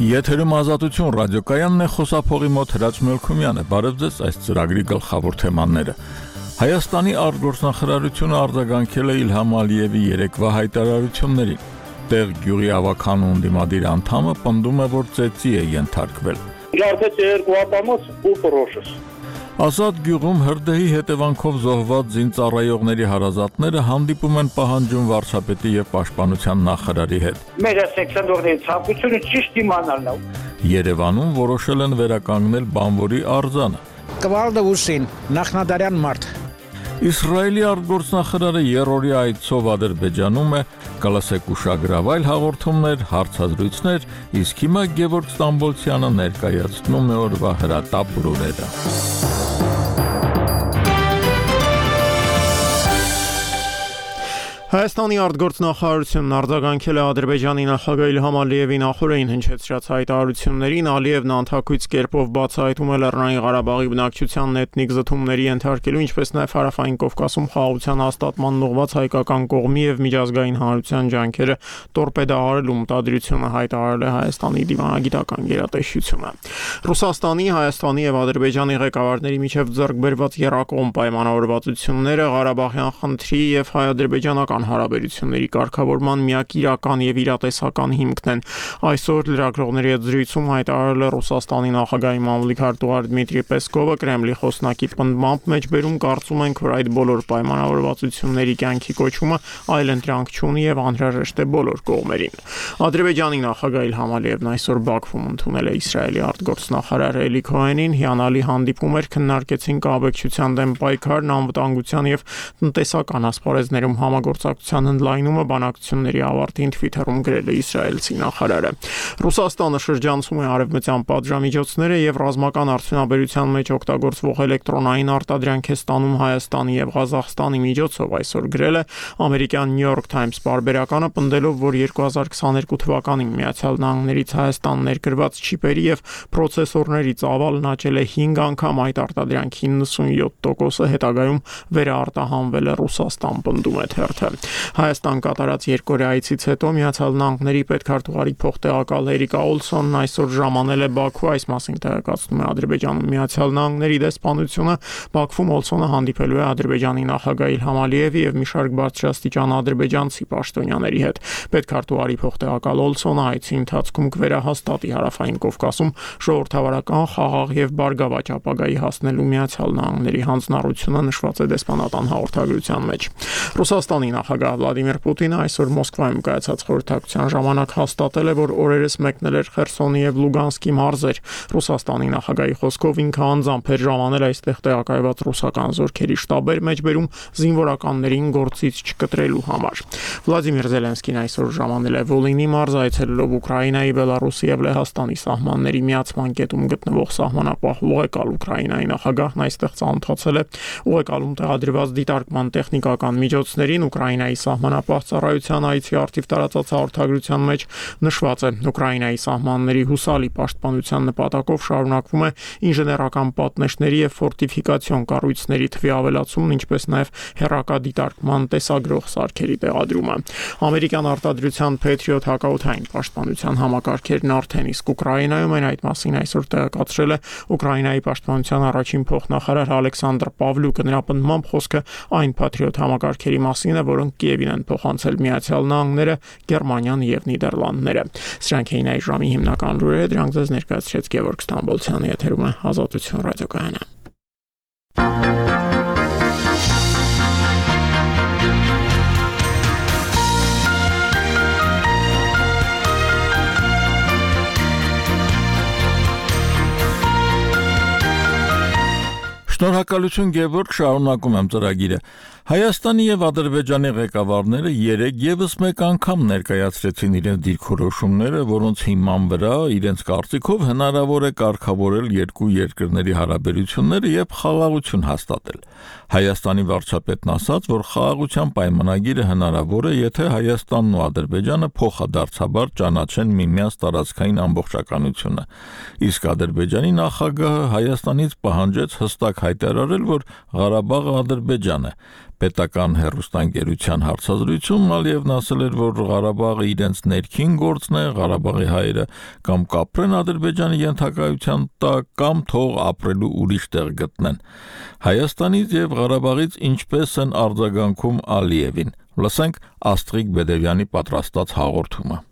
Եթերում Ազատություն ռադիոկայանն է, խոսափողի մոտ Հրաչ Մելքումյանը։ Բարև ձեզ, այս ծրագրի գլխավոր թեմաները։ Հայաստանի արտգործնախարարությունը արձագանքել է Իլհամ Ալիևի երեկվա հայտարարություններին։ Տեղ գյուղի ավականու ընդդիմադիր անդամը պնդում է, որ ծեծի է ենթարկվել։ Ազատ գյուղում հրդեհի հետևանքով զոհված զինծառայողների հարազատները հանդիպում են պահանջում վարչապետի եւ պաշտպանության նախարարի հետ։ Մեր սեքսանդորների ցանկությունը ճիշտ իմանալն է։ Երևանում որոշել են վերականգնել բանվորի արձանը։ Կվալդը ուսին, նախնադարյան մարդ։ Իսրայելի արտգործնախարարը երրորդյա այցով Ադրբեջանում է, կլսեք ուշագրավ այլ հաղորդումներ, հարցազրույցներ, իսկ հիմա Գևորգ Ստամբոլցյանը ներկայացնում է օրվա հրատապ լուրերը։ Հայաստանի արտգործնախարարությունն արձագանքել է Ադրբեջանի նախագահ Իլհամ Ալիևի նախորդին հնչեցրած հայտարարություններին։ Ալիևն անթաքույց կերպով բացահայտում է Լեռնային Ղարաբաղի բնակչությանն էթնիկ զտումների ենթարկելու, ինչպես նաև Հարավային Կովկասում խաղաղության հաստատման ուղղված հայկական կողմի եւ միջազգային հանրության ջանքերը տորպեդահարելու մտադրությունը հայտարարել է Հայաստանի դիվանագիտական գերատեսչությունը։ Ռուսաստանի, Հայաստանի եւ Ադրբեջանի ղեկավարների միջև ձեռք բերված եռակողմ պայմանավորվածությունները Ղարաբաղյան խնդրի եւ հայ-ադրբեջանական հարաբերությունների կարգավորման միակ իրական եւ իրատեսական հիմքն են։ Այսօր լրագրողների հետ զրույցում հայտարարել է Ռուսաստանի նախագահի մամուլի քարտուղար Դմիտրի Պեսկովը, Կրեմլի խոսնակի պնդմամբ մեջբերում կարծում ենք, որ այդ բոլոր պայմանավորվածությունների կյանքի կոչումը այլընտրանք չունի եւ անհրաժեշտ է բոլոր կողմերին։ Ադրբեջանի նախագահ Իլհամ Ալիևն այսօր Բաքվում ընդունել է Իսրայելի արտգործնախարար Էլի Քոհենին, հիանալի հանդիպում էր, քննարկեցին կանխարգելության դեմ պայքարն, անվտանգության եւ տնտեսական ասպարեզներում համագործակցության ընդլայնումը, բանակցությունների ավարտին Twitter-ում գրել է իսրայելցի նախարարը։ Ռուսաստանը շրջանցում է արևմտյան պատժամիջոցները եւ ռազմական արդյունաբերության մեջ օգտագործվող էլեկտրոնային արտադրանք է ստանում Հայաստանի եւ Ղազախստանի միջոցով, այսօր գրել է ամերիկյան New York Times պարբերականը, պնդելով, որ 2022 թվականին Միացյալ Նահանգներից Հայաստան ներկրված չիպերի եւ պրոցեսորների ծավալն աճել է 5 անգամ, այդ արտադրանքի 97%-ը հետագայում վերարտահանվել է Ռուսաստան, պնդում է թերթը։ Հայաստան կատարած երկօրյա այցից հետո Միացյալ Նահանգների պետքարտուղարի փոխտեղակալ Էրիկա Օլսոնն այսօր ժամանել է Բաքու, այս մասին տեղեկացնում է Ադրբեջանում Միացյալ Նահանգների դեսպանությունը։ Բաքվում Օլսոնը հանդիպելու է Ադրբեջանի նախագահ Իլհամ Ալիևի եւ մի շարք բարձրաստիճան ադրբեջանցի պաշտոնյաների հետ։ Պետքարտուղարի փոխտեղակալ Օլսոնը այցի ընթացքում կվերահաստատի Հարավային Կովկասում ժողովրդավարական, խաղաղ եւ բարգավաճ ապագայի հասնելու Միացյալ Նահանգների հանձնառությունը, նշված է դեսպանատան հաղորդագրության մեջ։ Ռուսաստանի նախագահ Վլադիմիր Պուտինը այսօր Մոսկվայում կայացած խորհրդակցության ժամանակ հաստատել է, որ օրերս մեկնել էր Խերսոնի եւ Լուգանսկի մարզեր։ Ռուսաստանի նախագահի խոսքով ինքը անձամբ էր ժամանել այստեղ տեղակայված ռուսական զորքերի շտաբեր մեջբերում զինվորականներին գործից չկտրելու համար։ Վլադիմիր Զելենսկին այսօր ժամանել է Վոլինի մարզ, այցելելով Ուկրաինայի, Բելարուսի եւ Լեհաստանի սահմանների միացման կետում գտնվող սահմանապահ Ուղեկալ Ուկրաինայի նախագահն այստեղ ծանոթացել է Ուղեկալում տեղադրված դիտարկման տեխնիկական միջոցներին։ Ուկրաինայի սահմանապահ ծառայության այցի արդիվ տարածած հաղորդագրության մեջ նշված է. Ուկրաինայի սահմանների հուսալի պաշտպանության նպատակով շարունակվում է ինժեներական պատնեշների եւ ֆորտիֆիկացիոն կառույցների թվի ավելացումն, ինչպես նաեւ հեռակադիտարկման տեսագրող սարքերի տեղադրումը։ Ամերիկյան արտադրության Patriot հակաօդային պաշտպանության համակարգերն արդեն իսկ Ուկրաինայում են, այդ մասին այսօր տեղեկացրել է Ուկրաինայի պաշտպանության առաջին փոխնախարար Ալեքսանդր Պավլյուկը։ Նրա պնդմամբ խոսքը այն Patriot համակարգերի մասին է, որոնք Կիևին են փոխանցել Միացյալ Նահանգները, Գերմանիան եւ Նիդերլանդները։ Սրանք էին այս ժամի հիմնական լուրերը, դրանք ձեզ ներկայացրեց Գևորգ Ստամբոլցյանը, եթերում է Ազատություն ռադիոկայանը։ Շնորհակալություն Գևորգ, շարունակում եմ ծրագիրը։ Հայաստանի եւ Ադրբեջանի ղեկավարները երեկ եւս մեկ անգամ ներկայացրեցին իրենց դիրքորոշումները, որոնց հիման վրա իրենց կարծիքով հնարավոր է կարգավորել երկու երկրների հարաբերությունները եւ խաղաղություն հաստատել։ Հայաստանի վարչապետն ասաց, որ խաղաղության պայմանագիրը հնարավոր է, եթե Հայաստանն ու Ադրբեջանը փոխադարձաբար ճանաչեն միմյանց տարածքային ամբողջականությունը։ Իսկ Ադրբեջանի նախագահը Հայաստանից պահանջեց հստակ հայտարարել, որ Ղարաբաղը Ադրբեջան է։ Պետական հեռուստաընկերության հարցազրույցում Ալիևն ասել էր, որ Ղարաբաղը իրենց ներքին գործն է, Ղարաբաղի հայերը կամ կապրեն Ադրբեջանի ենթակայության տակ, կամ թող ապրելու ուրիշ տեղ գտնեն։ Հայաստանից եւ Ղարաբաղից ինչպես են արձագանքում Ալիևին։ Լսենք Աստղիկ Բեդևյանի պատրաստած հաղորդումը։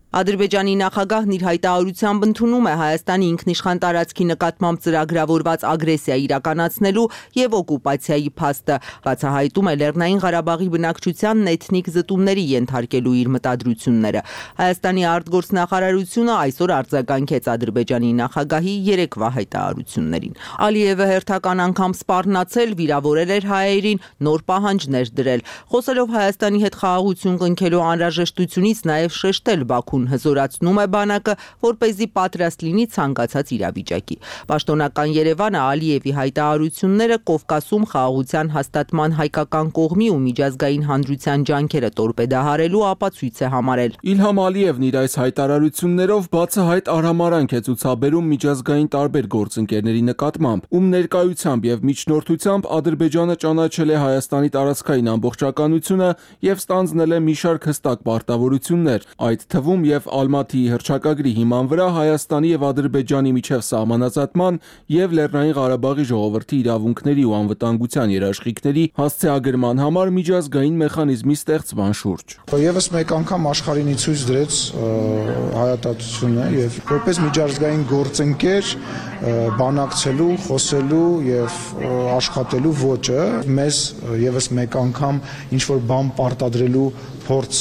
Ադրբեջանի նախագահն իր հայտարարությամբ ընդունում է Հայաստանի ինքնիշխան տարածքի նկատմամբ ծրագրավորված ագրեսիա իրականացնելու եւ օկուպացիայի փաստը, բացահայտում է Լեռնային Ղարաբաղի բնակչությանն էթնիկ զտումների ենթարկելու իր մտադրությունները։ Հայաստանի արտգործնախարարությունը այսօր արձագանքեց Ադրբեջանի նախագահի երեկվա հայտարարություններին։ Ալիևը հերթական անգամ սպառնացել, վիրավորել էր հայերին, նոր պահանջներ դրել։ Խոսելով Հայաստանի հետ խաղաղություն կնքելու անհրաժեշտությունից նաեւ շեշտել Բաքու հզորացնում է բանակը, որպեսզի պատրաստ լինի ցանկացած իրավիճակի։ Պաշտոնական Երևանը Ալիևի հայտարարությունները Կովկասում խաղաղության հաստատման հայկական կողմի ու միջազգային հանրության ջանքերը տորպեդահարելու ապացույց է համարել։ Իլհամ Ալիևն իր այս հայտարարություններով բացահայտ արհամարհանք է ցուցաբերում միջազգային տարբեր գործընկերների նկատմամբ, ում ներկայությամբ եւ միջնորդությամբ Ադրբեջանը ճանաչել է Հայաստանի տարածքային ամբողջականությունը եւ ստանձնել է մի շարք հստակ պարտավորություններ, այդ թվում եւ Ալմատիի հռչակագրի հիման վրա Հայաստանի եւ Ադրբեջանի միջև սահմանազատման եւ Լեռնային Ղարաբաղի ժողովրդի իրավունքների ու անվտանգության երաշխիքների հասցեագրման համար միջազգային մեխանիզմի ստեղծման շուրջ։ Եվս մեկ անգամ աշխարհին ցույց դրեց հայատացությունը եւ որպես միջազգային գործընկեր բանակցելու, խոսելու եւ աշխատելու ոճը մեզ եւս մեկ անգամ ինչ որ բան պարտադրելու փորձ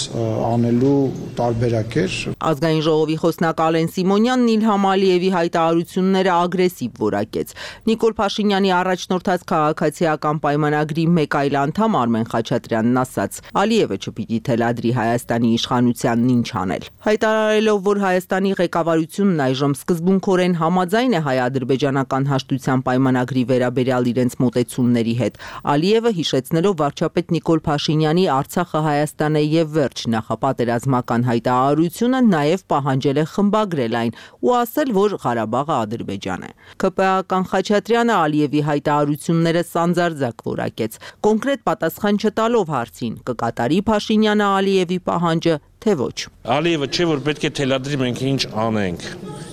անելու տարբերակ էր։ Ազգային ժողովի խոսնակ Ալեն Սիմոնյանն Իլհամ Ալիևի հայտարարությունները ագրեսիվ որակեց։ Նիկոլ Փաշինյանի առաջնորդած քաղաքացիական պայմանագրի մեկ այլ անդամ Արմեն Խաչատրյանն ասաց. Ալիևը չպիտի թելադրի Հայաստանի իշխանությանն ինչ անել։ Հայտարարելով, որ Հայաստանի ղեկավարությունն այժմ սկզբունքորեն համաձայն է հայ-ադրբեջանական հաշտության պայմանագրի վերաբերյալ իրենց մոտեցումների հետ, Ալիևը հիշեցնելով վարչապետ Նիկոլ Փաշինյանի Արցախը Հայաստան է եւ վերջ նախապատերազմական հայտարարությունը նաև պահանջել է խմբագրել այն ու ասել, որ Ղարաբաղը Ադրբեջան է։ ԿՊԱ-ական Խաչատրյանը Ալիևի հայտարարությունները սանձարձակ որակեց, կոնկրետ պատասխան չտալով հարցին՝ կկատարի Փաշինյանը Ալիևի պահանջը, թե ոչ։ Ալիևը չէ, որ պետք է թելադրի մենք ինչ անենք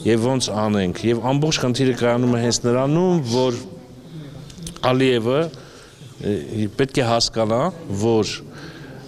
եւ ոնց անենք, եւ ամբողջ խնդիրը կայանում է հենց նրանում, որ Ալիևը պետք է հասկանա, որ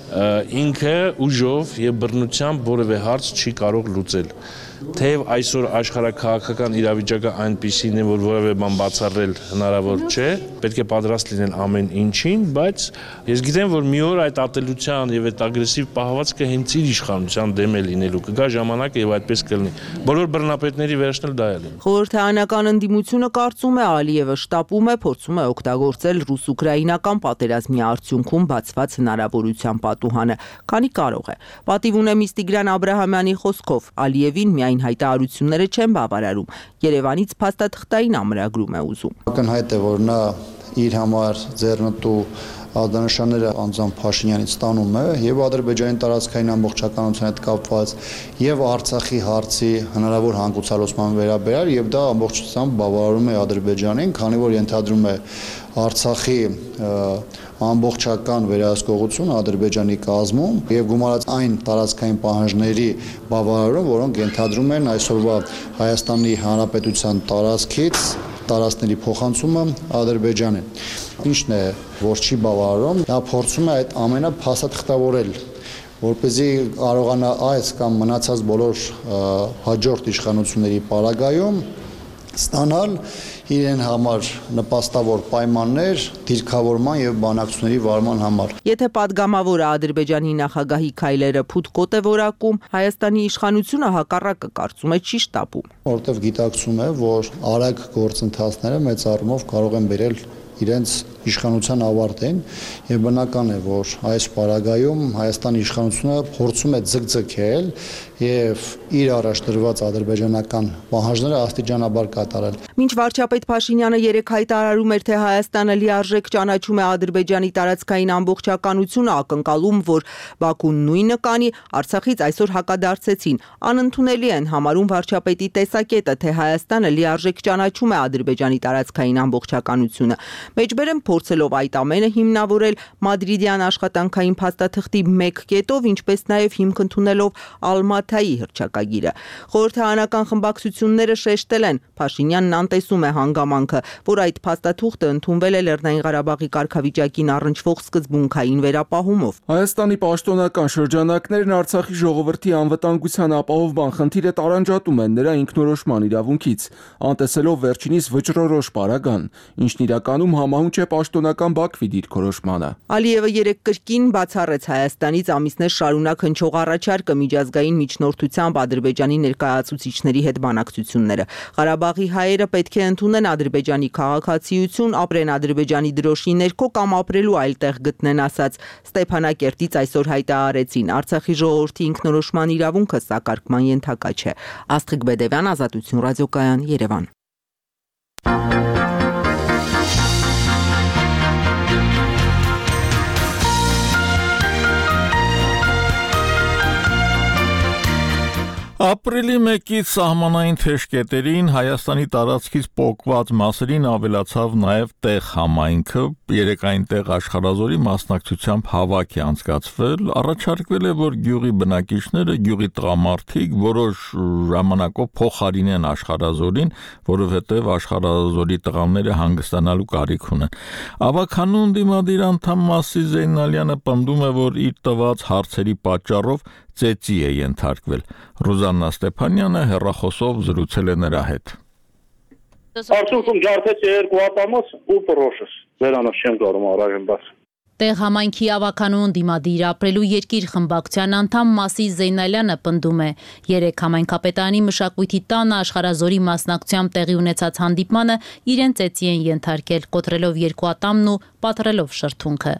ինքը ուժով եւ բռնությամբ որևէ հարց չի կարող լուծել։ Թեև այսօր աշխարհաքաղաքական իրավիճակը այնպիսին է, որ որևէ բան բացառել հնարավոր չէ, պետք է պատրաստ լինեն ամեն ինչին, բայց ես գիտեմ, որ մի օր այդ ատելության եւ այդ ագրեսիվ պահվածքը հենց իր իշխանության դեմ է լինելու, կգա ժամանակը եւ այդպես կլինի։ Բոլոր բռնապետների վերջն էլ դա է լինի։ Խորհրդարանական ընդդիմությունը կարծում է Ալիևը շտապում է, փորձում է օգտագործել ռուս-ուկրաինական պատերազմի արդյունքում բացված հնարավորության պատուհանը, քանի կարող է։ Պատիվ ունեմ Տիգրան Աբրահամյանի խոսքով Ալիևին այն հայտարարությունները չեն բավարարում, Երևանից փաստաթղթային ամրագրում է ուզում։ Ակնհայտ է, որ նա իր համար ձեռնտու ազդանշանները անձամբ Փաշինյանից ստանում է եւ Ադրբեջանի տարածքային ամբողջականության հետ կապված եւ Արցախի հարցի հնարավոր հանգուցալուծման վերաբերյալ եւ դա ամբողջությամբ բավարարում է Ադրբեջանին, քանի որ ենթադրում է Արցախի ամբողջական վերահսկողություն Ադրբեջանի կազմում եւ գումարած այն տարածքային պահանջների բավարարում, որոնք ենթադրում են այսօրվա Հայաստանի Հանրապետության տարածքից տարածքների փոխանցումը Ադրբեջանին։ Ինչն է, որ չի բավարարում, նա փորձում է այդ ամենը փաստաթղթավորել, որպեսզի կարողանա այս կամ մնացած բոլոր հաջորդ իշխանությունների պարագայում ստանալ իրեն համար նպաստավոր պայմաններ դիրքավորման եւ բանակցությունների վարման համար։ Եթե падգամավորը Ադրբեջանի նախագահի քայլերը փութկոտ է որակում, Հայաստանի իշխանությունը հակառակը կարծում է չի շտապում։ Որտեւ գիտակցում է, որ արագ գործընթացները մեծ առումով կարող են բերել իրենց իշխանության ավարտին եւ բնական է, որ այս պարագայում Հայաստանի իշխանությունը փորձում է ձգձգել եւ իր առաջ դրված ադրբեջանական պահանջները աստիճանաբար կատարել։ Մինչ վարչապետ Փաշինյանը երեկ հայտարարում էր, թե Հայաստանը լիարժեք ճանաչում է Ադրբեջանի տարածքային ամբողջականությունը, ակնկալում, որ Բաքուն նույնը կանի, Արցախից այսօր հակադարձեցին։ Անընդունելի են համարում վարչապետի տեսակետը, թե Հայաստանը լիարժեք ճանաչում է Ադրբեջանի տարածքային ամբողջականությունը։ Մեջբերեմ փորձելով այդ ամենը հիմնավորել մադրիդյան աշխատանքային փաստաթղթի 1 կետով, ինչպես նաև հիմք ընդունելով Ալմաթայի հռչակագիրը։ Խորհրդարանական խմբակցությունները շեշտել են, Փաշինյանն անտեսում է հանգամանքը, որ այդ փաստաթուղթը ընդունվել է Լեռնային Ղարաբաղի կարգավիճակին առնչվող սկզբունքային վերապահումով։ Հայաստանի պաշտոնական շրջանակներն Արցախի ժողովրդի անվտանգության ապահովման խնդիրը տարանջատում են նրա ինքնորոշման իրավունքից, անտեսելով վերջինիս վճռորոշ պարագան, ինչն իրականում համահունչ է պաշտոնական Բաքվի դիրքորոշմանը։ Ալիևը երեկ կրկին բացառեց Հայաստանից ամիսներ շարունակ հնչող առաջարկը միջազգային միջնորդությամբ Ադրբեջանի ներկայացուցիչների հետ բանակցությունները։ Ղարաբաղի հայերը պետք է ընդունեն Ադրբեջանի քաղաքացիություն, ապրեն Ադրբեջանի դրոշի ներքո կամ ապրելու այլ տեղ գտնեն, ասաց Ստեփանակերտից այսօր հայտարարեցին։ Արցախի ժողովրդի ինքնորոշման իրավունքը սակարկման ենթակա չէ։ Աստղիկ Բեդևյան, Ազատություն ռադիոկայան, Երևան։ Ապրիլի 1-ից սահմանային թեժկետերին Հայաստանի տարածքից պոկված մասերին ավելացավ նաև տեղ համայնքը, երեկ այնտեղ աշխարհազորի մասնակցությամբ հավաք է անցկացվել, առաջարկվել է, որ գյուղի բնակիչները, գյուղի տղամարդիկ որոշ ժամանակով փոխարինեն աշխարհազորին, որովհետև աշխարհազորի տղաները հանգստանալու կարիք ունեն։ Ավականուն դիմադիր անդամ Մասի Զեյնալյանը պնդում է, որ իր տված հարցերի պատճառով ծեծի է ենթարկվել։ Ռուզաննա Ստեփանյանը հեռախոսով զրուցել է նրա հետ։ Արդյունքում ջարդեց 2 ատամոց ու պրոշս։ Վերանով չեմ կարող առայժմ բաց։ Տեղ համայնքի ավականուն դիմադիր ապրելու երկիր խմբակցության անդամ Մասի Զեյնալյանը պնդում է, երեկ համայնքապետարանի մշակույթի տանը աշխարհազորի մասնակցությամբ տեղի ունեցած հանդիպմանը իրեն ծեծի են ենթարկել, կոտրելով 2 ատամն ու պատռելով շրթունքը։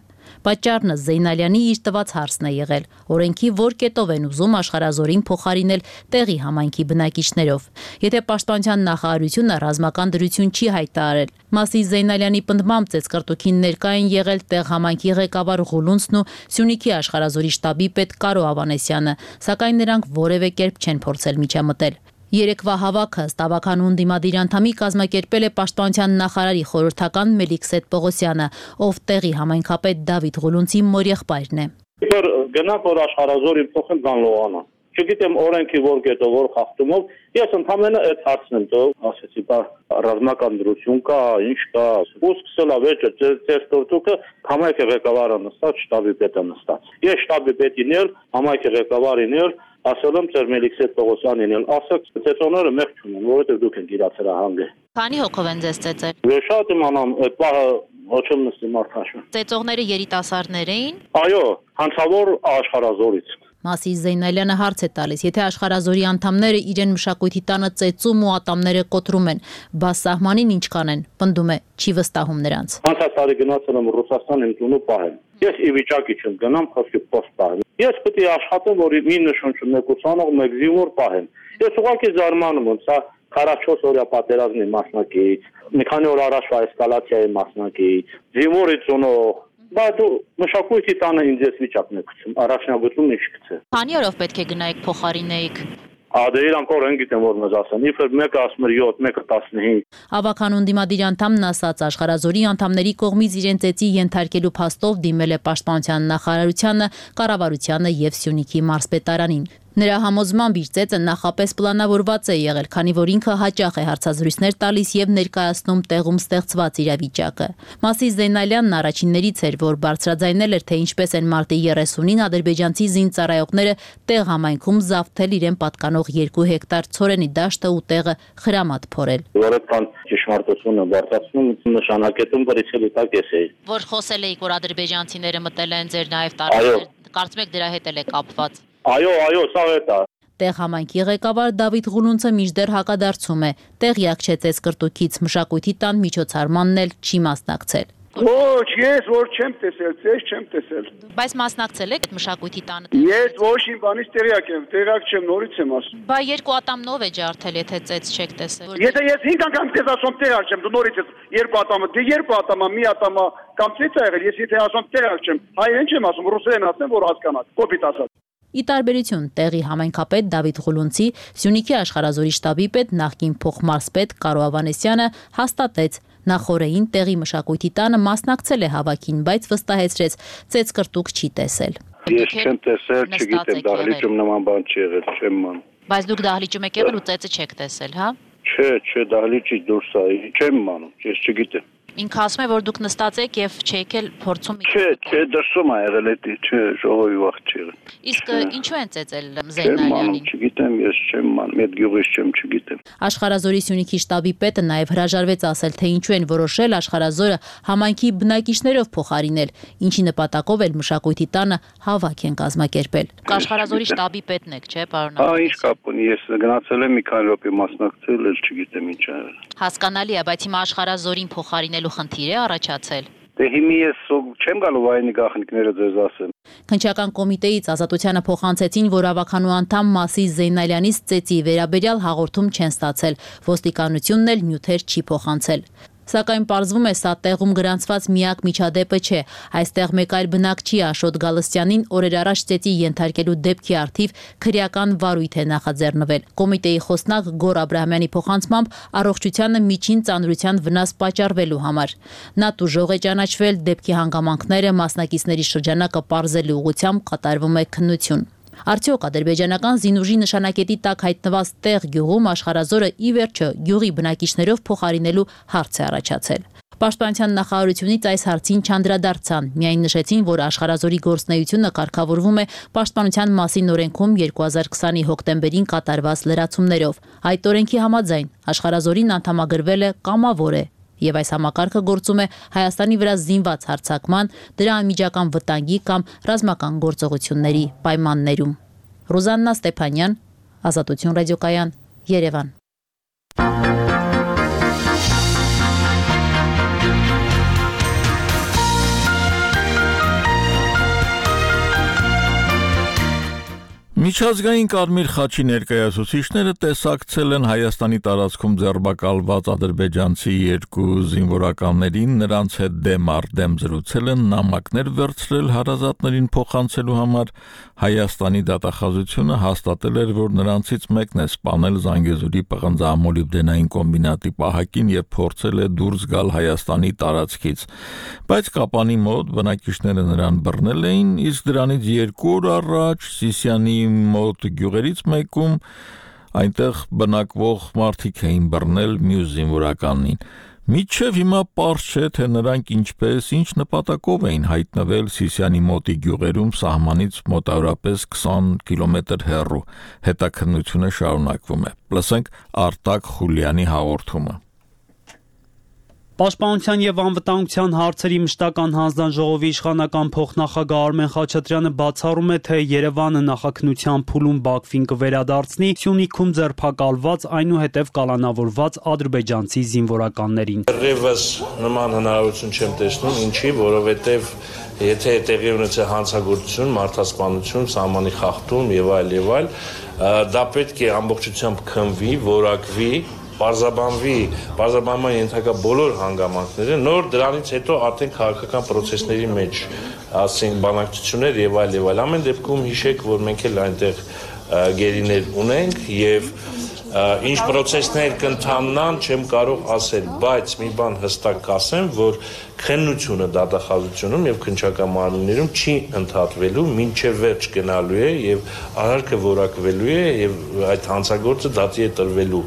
Պատճառն Զեյնալյանի իր տված հարցն է եղել. օրենքի որ կետով են ուզում աշխարհազորին փոխարինել տեղի համայնքի բնակիչներով։ Եթե պաշտպանության նախարարությունը ռազմական դրություն չի հայտարարել, Մասի Զեյնալյանի պնդմամբ ծեծկռտուքին ներկա են եղել տեղ համայնքի ղեկավար Ղուլունցն ու Սյունիքի աշխարհազորի շտաբի պետ Կարո Ավանեսյանը, սակայն նրանք որևէ կերպ չեն փորձել միջամտել։ Երեկվա հավաքը Ստավականուն դիմադիր անդամի կազմակերպել է պաշտպանության նախարարի խորհրդական Մելիքսետ Պողոսյանը, ով տեղի համայնքապետ Դավիթ Ղուլունցի մորեղբայրն է։ Գնա որ աշխարհազորին փոխեն Գանլողանը։ Չգիտեմ օրենքի որ կետով որ խախտումով, ես ընդհանրապես այդ հարցն եմ տով, ասեցի, բա ռազմական դրություն կա, ինչ կա, ու սկսել է վեճը ծեր տորտուկը համայնքի ղեկավարը նստած, շտաբի պետը նստած։ Ես շտաբի պետին էլ, համայնքի ղեկավարին էլ ասել եմ ծեր Մելիքսետ Պողոսյանին էլ, ասաց ծեծոնները մեղք չունեն, որովհետև դուք եք իրացել հանգը։ Քանի հոգով են ձեզ ծեծել։ Ես շատ իմանամ, այդ բանը ոչ եմ նստի մարդաշը։ Ծեծողները երիտասարդներ էին։ Այո, հանցավոր աշխարհազորից։ Մասի Զեյնալյանը հարց է տալիս, եթե աշխարհազորի անդամները իրեն մշակույթի տանը ծեծում ու ատամները կոտրում են, բա սահմանին ինչ կանեն, պնդում է, չի վստահում նրանց։ Անցած տարի գնացել եմ Ռուսաստան իմ տունը պահեմ։ Ես ի վիճակի չեմ գնամ, խոսքի post պահեմ։ Ես պետք է աշխատեմ, որ մի նշություն մեկուսանող մեկ զինվոր պահեմ։ Ես ուղղակի զարմանում եմ, սա 44 օրյա պատերազմի մասնակից, մի քանի օր առաջվա էսկալացիայի մասնակից, զինվորի ծնող, բայց մշակույթի տանը ինձ ես վիճակն է գցում, առաջնագծում ինչ գցե։ Քանի օրով պետք է գնայիք փոխարինեիք։ Ադե իրանք օրեն գիտեմ որ մեզ ասեն, իբր մեկը ասում էր 7, մեկը 15։ Ավականուն դիմադիր անդամն ասաց աշխարհազորի անդամների կողմից իրեն ծեծի ենթարկելու փաստով դիմել է պաշտպանության նախարարությանը, կառավարությանը եւ Սյունիքի մարզպետարանին։ Նրա համոզմամբ իր ծեծը նախապես պլանավորված է եղել, քանի որ ինքը հաճախ է հարցազրույցներ տալիս եւ ներկայացնում տեղում ստեղծված իրավիճակը։ Մասի Զեյնալյանն առաջիններից էր, որ բարձրաձայնել էր, թե ինչպես են մարտի 30-ին ադրբեջանցի զինծառայողները տեղ համայնքում զավթել իրեն պատկանող 2 հեկտար ցորենի դաշտը ու տեղը խրամատ փորել։ Որքան ճշմարտությունը բարձրացնում նշանակետում բրիցելի տակ էի։ Որ խոսել էիք, որ ադրբեջանցիները մտել են ձեր նաեւ տարածքներ, կարծում եք դրա հետ էլ է կապված։ Այո, սա է։ Տեղ համայնքի ղեկավար Դավիթ Ղուլունցը մինչդեռ հակադարձում է, տեղյակ չէ ծեծկռտուքից, մշակույթի տան միջոցառմանն էլ չի մասնակցել։ Ոչ, ես որ չեմ տեսել, ես չեմ տեսել։ Բայց մասնակցել եք այդ մշակույթի տանը։ Ես ոչ իմ բանից տեղյակ եմ, տեղյակ չեմ, նորից եմ ասում։ Բա 2 ատամնով է ջարդել, եթե ծեծ չեք տեսել։ Եթե ես 5 անգամ քեզ ասում տեղյակ չեմ, դու նորից ես 2 ատամը, դե 2 ատամը, մի ատամը կամ ծեծ ա եղել, ես եթե ասում տեղյակ չեմ, հայերեն չեմ ասում, ռուսերեն ասեմ, որ հասկանաք, կոպիտ ասած։ Ի տարբերություն տեղի համայնքապետ Դավիթ Ղուլունցի, Սյունիքի աշխարհազորի շտաբի պետ նախկին փոխմարզպետ Կարո Ավանեսյանը հաստատեց նախորդին տեղի մշակույթի տանը մասնակցել է հավաքին, բայց վստահեցրեց ծեծ կրտուկ չի տեսել։ Ես չեմ տեսել, չգիտեմ, դահլիճում նման բան չի եղել, չեմ ման։ Բայց դուք դահլիճում եք եղել ու ծեծը չեք տեսել, հա։ Չէ, դահլիճից դուրս է, չեմ մանում, ես չգիտեմ։ Ինքը ասում է, որ դուք նստած եք եւ չեք էլ փորձում։ Չէ, դրսում ա եղել էդի, չէ, ժողովի վաղ չի եղել։ Իսկ ինչու են ծեծել Զեյնալյանին։ Չգիտեմ, ես չեմ մանում, այդ գյուղից չգիտեմ։ Աշխարհազորի Սյունիքի շտաբի պետը նաեւ հրաժարվեց ասել, թե ինչու են որոշել աշխարհազորը համայնքի բնակիչներով փոխարինել, ինչի նպատակով էլ մշակույթի տանը հավաք են կազմակերպել։ Աշխարհազորի շտաբի պետն եք, չէ, պարոն։ Հա, ինչ կապ ունի, ես գնացել եմ մի քանի րոպե մասնակցել, էլ չգիտեմ ինչ ա եղել։ Հասկանալի է, բայց հիմա աշխարհազորին փոխարինելու խնդիր է առաջացել։ Դե հիմա ես չեմ գալու վայնի գախնիկները ձեզ ասեմ։ Քննչական կոմիտեից Ազատությանը փոխանցեցին, որ ավականու անդամ Մասիս Զեյնալյանից ծեծի վերաբերյալ հաղորդում չեն ստացել, ոստիկանությունն էլ նյութեր չի փոխանցել։ Սակայն պարզվում է, սա տեղում գրանցված միակ միջադեպը չէ։ Այստեղ մեկ այլ բնակչի Աշոտ Գալստյանին օրեր առաջ ծեծի ենթարկելու դեպքի առթիվ քրեական վարույթ է նախաձեռնվել։ Կոմիտեի խոսնակ Գոր Աբրահամյանի փոխանցմամբ առողջությանը միջին ծանրության վնաս պատճառվելու համար։ Նա տուժող է ճանաչվել, դեպքի հանգամանքները մասնակիցների շրջանակը պարզելու ուղղությամբ կատարվում է քննություն։ Արդյոք ադրբեջանական զինուժի նշանակետի տակ հայտնված տեղ գյուղում աշխարհազորը ի վերջո գյուղի բնակիչներով փոխարինելու հարց է առաջացել։ Պաշտպանության նախարարությունից այս հարցին չանդրադարձան, միայն նշեցին, որ աշխարհազորի գործունեությունը կարգավորվում է Պաշտպանության մասին օրենքում 2020-ի հոկտեմբերին կատարված լրացումներով։ Այդ օրենքի համաձայն աշխարհազորին անդամագրվել է կամավոր է, եւ այս համակարգը գործում է Հայաստանի վրա զինված հարձակման, դրա անմիջական վտանգի կամ ռազմական գործողությունների պայմաններում։ Ռուզաննա Ստեփանյան, Ազատություն ռադիոկայան, Երևան։ Միջազգային Կարմիր խաչի ներկայացուցիչները տեսակցել են Հայաստանի տարածքում ձերբակալված ադրբեջանցի 2 զինվորականներին, նրանց հետ դեմ առ դեմ զրուցել են, նամակներ վերցրել հարազատներին փոխանցելու համար։ Հայաստանի դատախազությունը հաստատել էր, որ նրանցից մեկն է սպանել Զանգեզուրի պղնձամոլիբդենային կոմբինատի պահակին եւ փորձել է դուրս գալ Հայաստանի տարածքից, բայց կապանի մոտ բնակիչները նրան բռնել էին, իսկ դրանից 2 օր առաջ Սիսիանի մոտ գյուղերից մեկում այնտեղ բնակվող մարդիկ էին բռնել մյուս զինվորականին։ Մինչև հիմա պարզ չէ, թե նրանք ինչպես, ինչ նպատակով էին հայտնվել Սիսիանի մոտի գյուղերում սահմանից մոտավորապես 20 կիլոմետր հեռու։ Հետաքննությունը շարունակվում է։ Լսենք Արտակ Խուլյանի հաղորդումը։ Պաշտպանության եւ անվտանգության հարցերի մշտական հանձնաժողովի իշխանական փոխնախագահ Արմեն Խաչատրյանը բացառում է, թե Երևանը նախաքննության փուլում Բաքվին կվերադարձնի Սյունիքում ձերբակալված, այնուհետև կալանավորված ադրբեջանցի զինվորականներին։ Դեռևս նման հնարավորություն չեմ տեսնում, ինչի, որովհետեւ եթե տեղի ունեցել հանցագործություն, մարդասպանություն, սահմանի խախտում եւ այլ, դա պետք է ամբողջությամբ քննվի, որակվի, պարզաբանման ենթակա բոլոր հանգամանքները, նոր դրանից հետո արդեն քաղաքական process-ների մեջ ասենք բանակցություններ եւ այլ, ամեն դեպքում հիշեք, որ մենք էլ այնտեղ գերիներ ունենք եւ ինչ process-ներ կընթանան, չեմ կարող ասել, բայց մի բան հստակ կասեմ, որ քննությունը դատախազությունում եւ քննչական մարմիններում չի ընդհատվելու, մինչեւ վերջ գնալու է եւ արարքը որակվելու է եւ այդ հանցագործը դատի է տրվելու։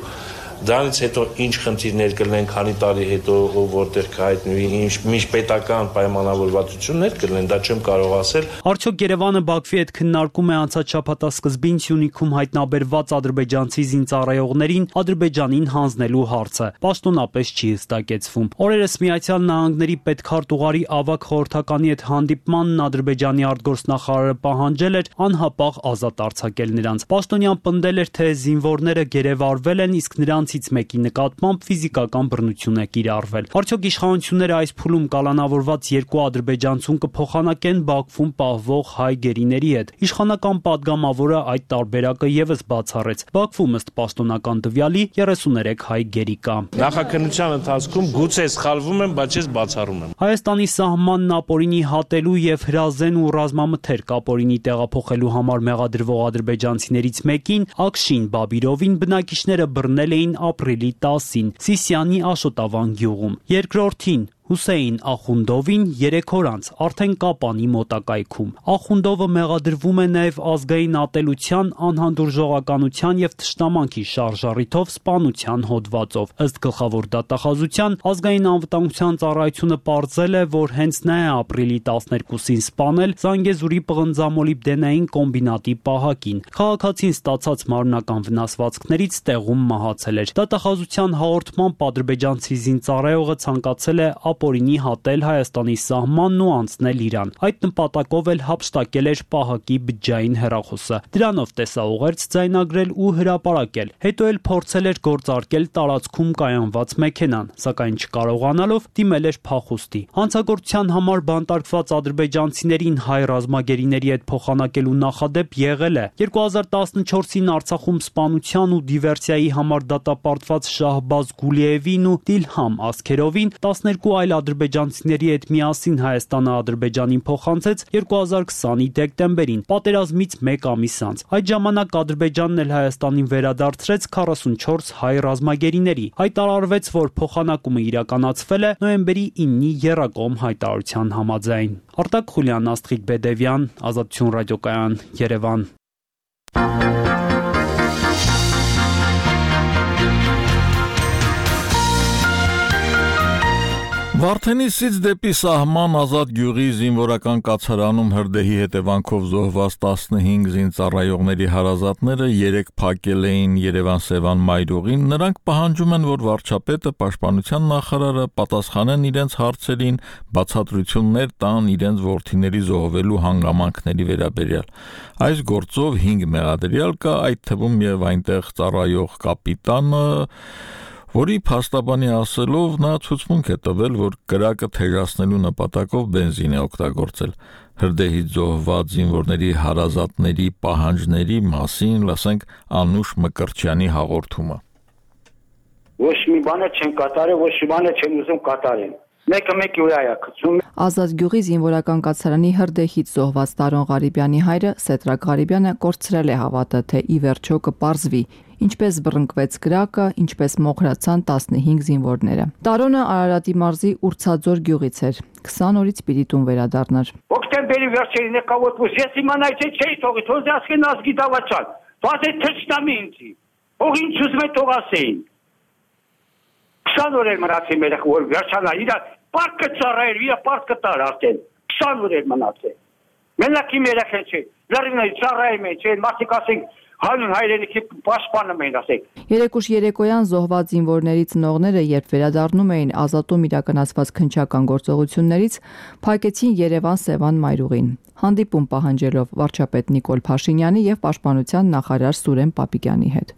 Դրանից հետո ինչ խնդիրներ կլինեն, քանի տարի հետո որտեղ կհայտնվի, ինչ միջպետական պայմանավորվածություններ կլինեն, դա չեմ կարող ասել։ Արդյոք Երևանը Բաքվի հետ քննարկում է անցած շաբաթասկզբին Սյունիքում հայտնաբերված ադրբեջանցի զինծառայողներին Ադրբեջանին հանձնելու հարցը։ Պաշտոնապես չի հստակեցվում։ Օրերս Միացյալ Նահանգների պետքարտուղարի ավագ խորհրդականի հետ հանդիպմանն Ադրբեջանի արտգործնախարարը պահանջել էր անհապաղ ազատ արձակել նրանց։ Պաշտոնյան պնդել էր, թե զինվորները գերեվարվել են, իսկ նրանց նրանցից մեկի նկատմամբ ֆիզիկական բռնություն է կիրառվել։ Արդյոք իշխանությունները այս փուլում կալանավորված երկու ադրբեջանցուն կփոխանակեն Բաքվում պահվող հայ գերիների հետ։ Իշխանական падգամավորը այդ տարբերակը եւս բացառեց։ Բաքվում ըստ պաշտոնական տվյալի 33 հայ գերի կա։ Նախաքննության ընթացքում գուցե սխալվում եմ, բայց ես բացառում եմ։ Հայաստանի սահմանն ապօրինի հատելու եւ հրազեն ու ռազմամթերք ապօրինի տեղափոխելու համար մեղադրվող ադրբեջանցիներից մեկին Աքշին Բաբիրովին բնակիչները բռնել էին ապրիլի 10-ին Սիսիանի Աշոտավան գյուղում։ Երկրորդին Հուսեյն Ախունդովին 3 օր անց արդեն Կապանի մոտակայքում։ Ախունդովը մեղադրվում է նաև ազգային ատելության, անհանդուրժողականության եւ թշնամանքի շարժառիթով սպանության հոդվածով։ Ըստ գլխավոր դատախազության, ազգային անվտանգության ծառայությունը պարզել է, որ հենց նա է ապրիլի 12-ին սպանել Զանգեզուրի պղնձամոլիբդենային կոմբինատի պահակին։ Քաղաքացին ստացած մարմնական վնասվածքներից տեղում մահացել էր։ Դատախազության հաղորդմամբ ադրբեջանցի զինծառայողը ցանկացել է ապօրինի հատել Հայաստանի սահմանն ու անցնել Իրան։ Այդ նպատակով էլ հափշտակել էր պահակի բջջային հեռախոսը։ Դրանով տեսաուղերձ ձայնագրել ու հրապարակել։ Հետո էլ փորձել էր գործարկել տարածքում կայանված մեքենան, սակայն չկարողանալով դիմել էր փախուստի։ Հանցագործության համար բանտարկված ադրբեջանցիներին հայ ռազմագերիների հետ փոխանակելու նախադեպ եղել է։ 2014-ին Արցախում սպանության ու դիվերսիայի համար դատապարտված Շահբազ Գուլիևին ու Դիլհամ Ասքերովին 12 այլ ադրբեջանցիների հետ միասին Հայաստանը Ադրբեջանին փոխանցեց 2020-ի դեկտեմբերին, պատերազմից 1 ամիս անց։ Այդ ժամանակ Ադրբեջանն էլ Հայաստանին վերադարձրեց 44 հայ ռազմագերիների։ Հայտարարվեց, որ փոխանակումը իրականացվել է նոյեմբերի 9-ի եռակողմ հայտարարության համաձայն։ Արտակ Խուլյան, Աստղիկ Բեդևյան, Ազատություն ռադիոկայան, Երևան։ Վարդենիսից դեպի սահման Ազատ գյուղի զինվորական կացարանում հրդեհի հետևանքով զոհված 15 զինծառայողների հարազատները 3 փակել էին Երևան-Սևան մայրուղին։ Նրանք պահանջում են, որ վարչապետը, պաշտպանության նախարարը պատասխանեն իրենց հարցերին, բացատրություններ տան իրենց որդիների զոհվելու հանգամանքների վերաբերյալ։ Այս գործով 5 մեղադրյալ կա, այդ թվում եւ այնտեղ ծառայող կապիտանը, որի փաստաբանի ասելով նա ցուցմունք է տվել, որ կրակը թեժացնելու նպատակով բենզին է օգտագործել։ Հրդեհից զոհված զինվորների հարազատների պահանջների մասին լսենք Անուշ Մկրտչյանի հաղորդումը։ Ոչ մի բան չեն կատարել, ոչ մի բան չեն ուզում կատարել։ Մեկը մեկի վրա է գցում։ Ազատ գյուղի զինվորական կացարանի հրդեհից զոհված Տարոն Ղարիբյանի հայրը Սետրակ Ղարիբյանը կորցրել է հավատը, թե ի վերջո կպարզվի, ինչպես բռնկվեց կրակը, ինչպես մոխրացան 15 զինվորները։ Տարոնը Արարատի մարզի Ուրցաձոր գյուղից էր։ 20 օրից պիտի տուն վերադառնար։ Օկտեմբերի վերջերին եկավ ոս ես իմանայի թե չէի թողի, թող ասեն ազգի դավաճան։ Վազե թշնամի ինձի։ Ող ինչ ուզում է թող ասեին։ 20 օր էր մնացել մեր որ վերջանա իր պարկը ծառայել, իր պարկը տար արդեն 20 օր էր մնացել։ Մենակ իմ երեխան չէ։ Լարինայի ծառայում է, չէ, մարդիկ ասենք հանուն հայրենիքի պաշտպանում էին ասեք։ Երեկուշ երեկոյան զոհված զինվորների ծնողները, երբ վերադառնում էին Ազատում իրականացված քննչական գործողություններից, փակեցին Երևան-Սևան մայրուղին, հանդիպում պահանջելով վարչապետ Նիկոլ Փաշինյանի եւ պաշտպանության նախարար Սուրեն Պապիկյանի հետ։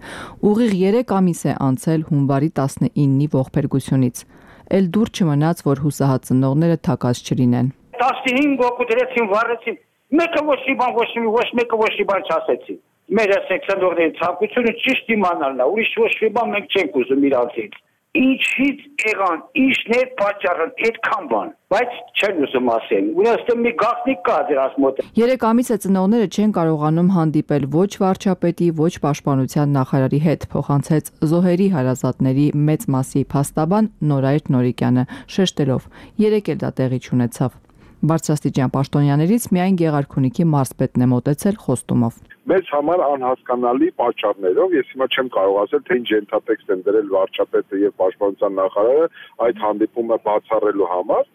Ուղիղ 3 ամիս է անցել հունվարի 19-ի ողբերգությունից։ Էլ դուր չմնաց, որ հուսահատ ծնողները թակած չլինեն։ 15 օգու դրեցին, վառեցին։ Մեկը ոչ մեկը ոչ մի բան չասեցին։ Մեր սեքսանդորների ցանկությունը ճիշտ իմանալն է, ուրիշ ոչ մի բան մենք չենք ուզում իրանցից։ Ինչից եղան, ինչն է պատճառը, այդքան բան, բայց չեն ուզում ասել։ Ուրեմն մի գաղտնիք կա դրանց մոտ։ 3 ամիս է ծնողները չեն կարողանում հանդիպել ոչ վարչապետի, ոչ պաշտպանության նախարարի հետ, փոխանցեց զոհերի հարազատների մեծ մասի փաստաբան Նորայր Նորիկյանը, շեշտելով. 3 էլ դա տեղի չունեցավ։ Բարձրաստիճան պաշտոնյաներից միայն Գեղարքունիքի մարզպետն է մոտեցել խոստումով։ Մեզ համար անհասկանալի պատճառներով ես հիմա չեմ կարող ասել, թե ինչ ենթատեքստ են դրել վարչապետը եւ պաշտպանության նախարարը այդ հանդիպումը բացառելու համար։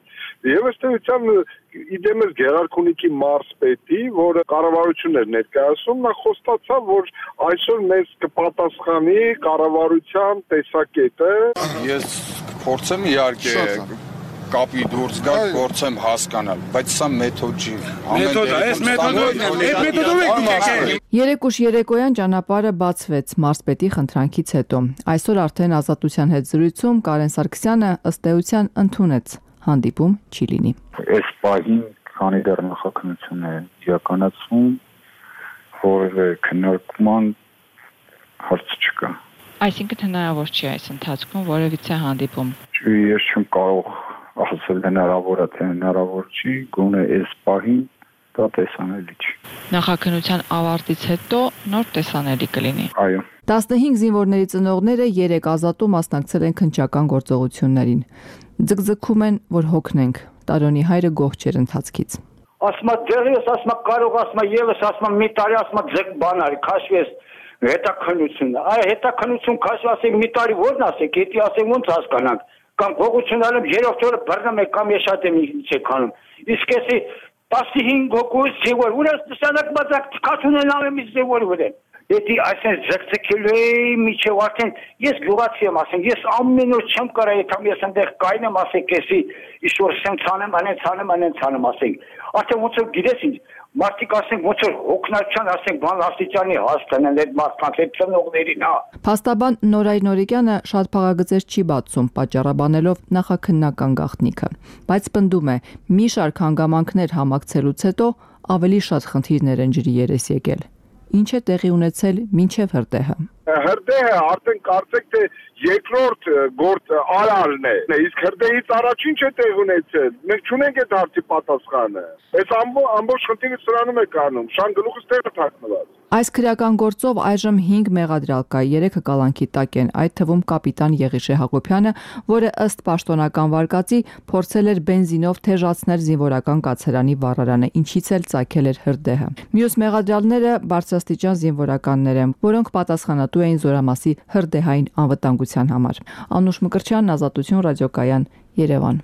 Եվ ըստ էության իդեմս Գեղարքունիքի մարզպետի, որը կառավարությունն էր ներկայացնում, նա խոստացավ, որ այսօր մեզ կպատասխանի կառավարության տեսակետը։ Ես փորձեմ իհարկե կապի դուրս գալ, փորձեմ հասկանալ, բայց սա մեթոդ չի։ Մեթոդը, այս մեթոդով եք Երեք ուշ երեկոյան ճանապարհը բացվեց մարզպետի խնդրանքից հետո։ Այսօր արդեն Ազատության հետ զրույցում Կարեն Սարգսյանը ըստ էության ընդունեց հանդիպում չի լինի։ Այս պահին քանի դեռ նախաքննություն է իրականացվում, որևէ քննարկման հարց չկա։ Այսինքն հնարավոր չի այս ընթացքում որևիցե հանդիպում։ Ես չեմ կարող ասել հնարավոր է, թե հնարավոր չի, գոնե այս պահին դա տեսանելի չի։ Նախաքննության ավարտից հետո նոր տեսանելի կլինի։ Այո։ 15 զինվորների ծնողները 3 ազատու մասնակցել են քննչական գործողություններին։ Ձգձգում են, որ հոգնենք։ Տարոնի հայրը գոհ չէր ընթացքից։ Ասма դերս, ասma կարող, ասma եւս, ասma մի տարի, ասma ձեկ բան արի, քաշվես հետաքննությունը։ Այ հետաքննություն քաշ ասենք մի տարի որն ասեք, եթե ասենք ոնց հասկանանք, կամ փողությունալը 3-րդ օրը բռնում եք կամ ես շատ եմ չեք անում։ Իսկ էսի 15 հոգուց զինվոր, ուրեմն նշանակ բացակ քաշունեն ալեմ զինվոր վրան։ Եթե այսպես ձգձգելու էի միջև արդեն ես գյուղացի եմ ասենք, ես ամեն օր չեմ կարող եթե ես այնտեղ կայնեմ ասենք, էսի ինչ-որ սեմ ցանեմ, անեն ցանեմ ասենք։ Արդեն ոնց որ գիտես ինչ, մարդիկ ասենք ոնց որ հոգնական ասենք բան աստիճանի հասկանան այդ մարդկանց այդ ծնողներին, հա։ Փաստաբան Նորայր Նորիկյանը շատ փաղագծեր չի բացում, պատճառաբանելով նախաքննական գաղտնիքը, բայց պնդում է, մի շարք հանգամանքներ համակցելուց հետո ավելի շատ խնդիրներ են ջրի երես եկել։ Ինչ է տեղի ունեցել մինչև հրդեհը։ Հրդեհը արդեն կարծեք թե երկրորդ գործ արարն է։ Իսկ հրդեհից առաջ ինչ է տեղ ունեցել։ Մենք չունենք այդ հարցի պատասխանը։ Այս ամբողջ խնդիրը սրանում է կանում։ Շան գլուխս տեղը թաքնված։ Այս քրեական գործով այժմ 5 մեղադրյալ կա, 3-ը կալանքի տակ են, այդ թվում կապիտան Եղիշե Հակոբյանը, որը ըստ պաշտոնական վարկածի փորձել էր բենզինով թեժացնել զինվորական կացարանի վառարանը, ինչից էլ ծագել էր հրդեհը։ Մյուս մեղադրյալները բարձրաստիճան զինվորականներ են, որոնք պատասխանատու էին զորամասի հրդեհային անվտանգության համար։ Անուշ Մկրտչյան, Ազատություն ռադիոկայան, Երևան։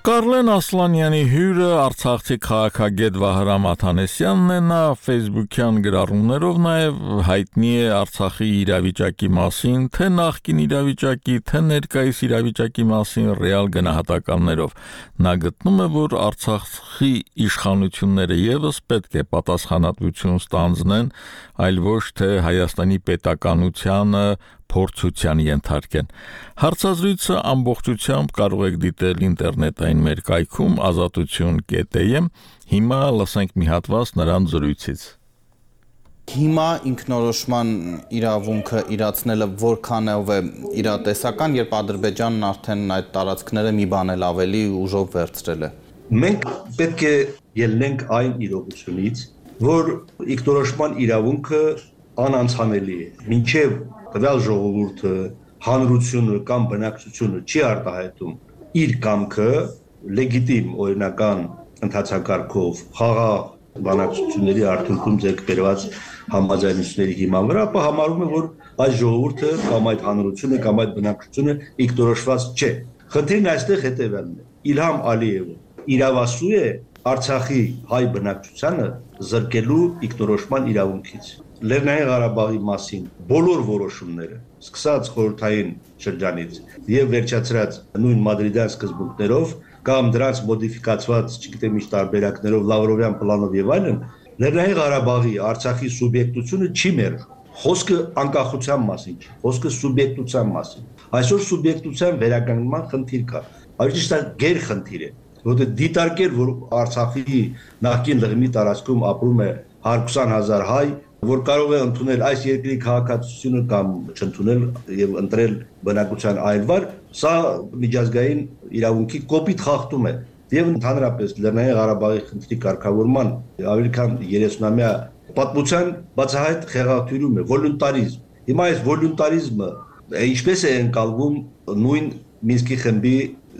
Կարլեն Ասլանյանի հյուրը Արցախի քաղաքագետ Վահրամ Աթանեսյանն է, նա Facebook-յան գրառումներով նաև հայտնի է Արցախի իրավիճակի մասին, թե նախկին իրավիճակի, թե ներկայիս իրավիճակի մասին ռեալ գնահատականներով։ Նա գտնում է, որ Արցախի իշխանությունները եւս պետք է պատասխանատվություն ստանձնեն, այլ ոչ թե Հայաստանի պետականությանը փորձության ենթարկեն։ Հարցազրույցը ամբողջությամբ կարող եք դիտել ինտերնետային մեր կայքում azatutun.am։ Հիմա լսենք մի հատված նրան զրույցից։ Հիմա ինքնորոշման իրավունքը իրացնելը որքանով է իրատեսական, երբ Ադրբեջանն արդեն այդ տարածքները մի բան էլ ավելի ուժով վերցրել է։ Մենք պետք է ելնենք այն իրողությունից, որ ինքնորոշման իրավունքը անանցանելի է։ Մինչև տվյալ ժողովուրդը, հանրությունը կամ բնակչությունը չի արտահայտում իր կամքը լեգիտիմ օրինական ընթացակարգով խաղաղ բանակցությունների արդյունքում ձեռք բերված համաձայնությունների հիման վրա, ապա համարում է, որ այս ժողովուրդը կամ այդ հանրությունը կամ այդ բնակչությունը ինքնորոշված չէ։ Խնդիրն այստեղ հետևյալն է. Իլհամ Ալիևը իրավասու է Արցախի հայ բնակչությանը զրկելու ինքնորոշման իրավունքից։ Լեռնային Ղարաբաղի մասին բոլոր որոշումները, սկսած խորհրդային շրջանից եւ վերջացրած նույն մադրիդյան սկզբունքներով կամ դրանց մոդիֆիկացված, չգիտեմ ինչ տարբերակներով, Լավրովյան պլանով եւ այլն, Լեռնային Ղարաբաղի Արցախի սուբյեկտությունը չի մերժ։ Խոսքը անկախության մասին չի, խոսքը սուբյեկտության մասին։ Այսօր սուբյեկտության վերականգնման խնդիր կա։ Այսինքն գերխնդիր է, որտեղ դիտարկել, որ Արցախի նախկին լղիմի տարածքում ապրում է 120,000 հայ, որ կարող է ընդունել այս երկրի քաղաքացիությունը կամ չընդունել եւ ընտրել բնակության այլ վար, սա միջազգային իրավունքի կոպիտ խախտում է։ Եվ ընդհանրապես Լեռնային Ղարաբաղի խնդրի կարգավորման ավելի քան 30-ամյա պատմության բացահայտ խեղաթյուրում է վոլունտարիզմ։ Հիմա այս վոլունտարիզմը ինչպես է ընկալվում նույն Մինսկի խմբի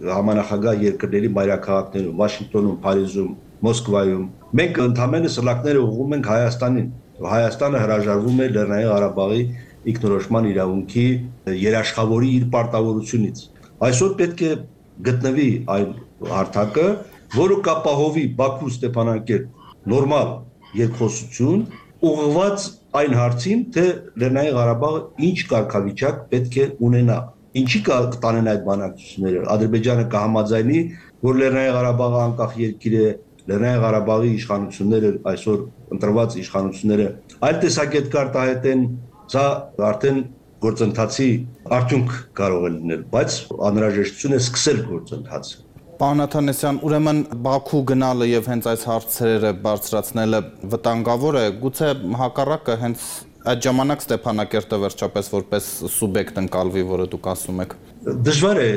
համանախագահ երկրների մայրաքաղաքներում, Վաշինգտոնում, Փարիզում, Մոսկվայում։ Մենք ընդհանրապես սլակները ուղղում ենք Հայաստանին։ Հայաստանը հրաժարվում է Լեռնային Ղարաբաղի ինքնորոշման իրավունքի երաշխավորի իր պարտավորությունից։ Այսօր պետք է գտնվի այն հարթակը, որը կապահովի Բաքու-Ստեփանակերտ նորմալ երկխոսություն, ուղղված այն հարցին, թե Լեռնային Ղարաբաղը ինչ կարգավիճակ պետք է ունենա։ Ինչի կտանեն այդ բանակցությունները։ Ադրբեջանը կհամաձայնի, որ Լեռնային Ղարաբաղը անկախ երկիր է, Լեռնային Ղարաբաղի իշխանությունները այսօր ընտրված իշխանությունները այլ տեսակետ կարտահայտեն, սա արդեն գործընթացի արդյունք կարող է լինել, բայց անհրաժեշտություն է սկսել գործընթացը։ Պարոն Աթանեսյան, ուրեմն Բաքու գնալը եւ հենց այս հարցերը բարձրացնելը վտանգավոր է, գուցե հակառակը հենց այդ ժամանակ Ստեփանակերտը վերջապես որպես սուբյեկտ ընկալվի, որը դուք ասում եք։ Դժվար է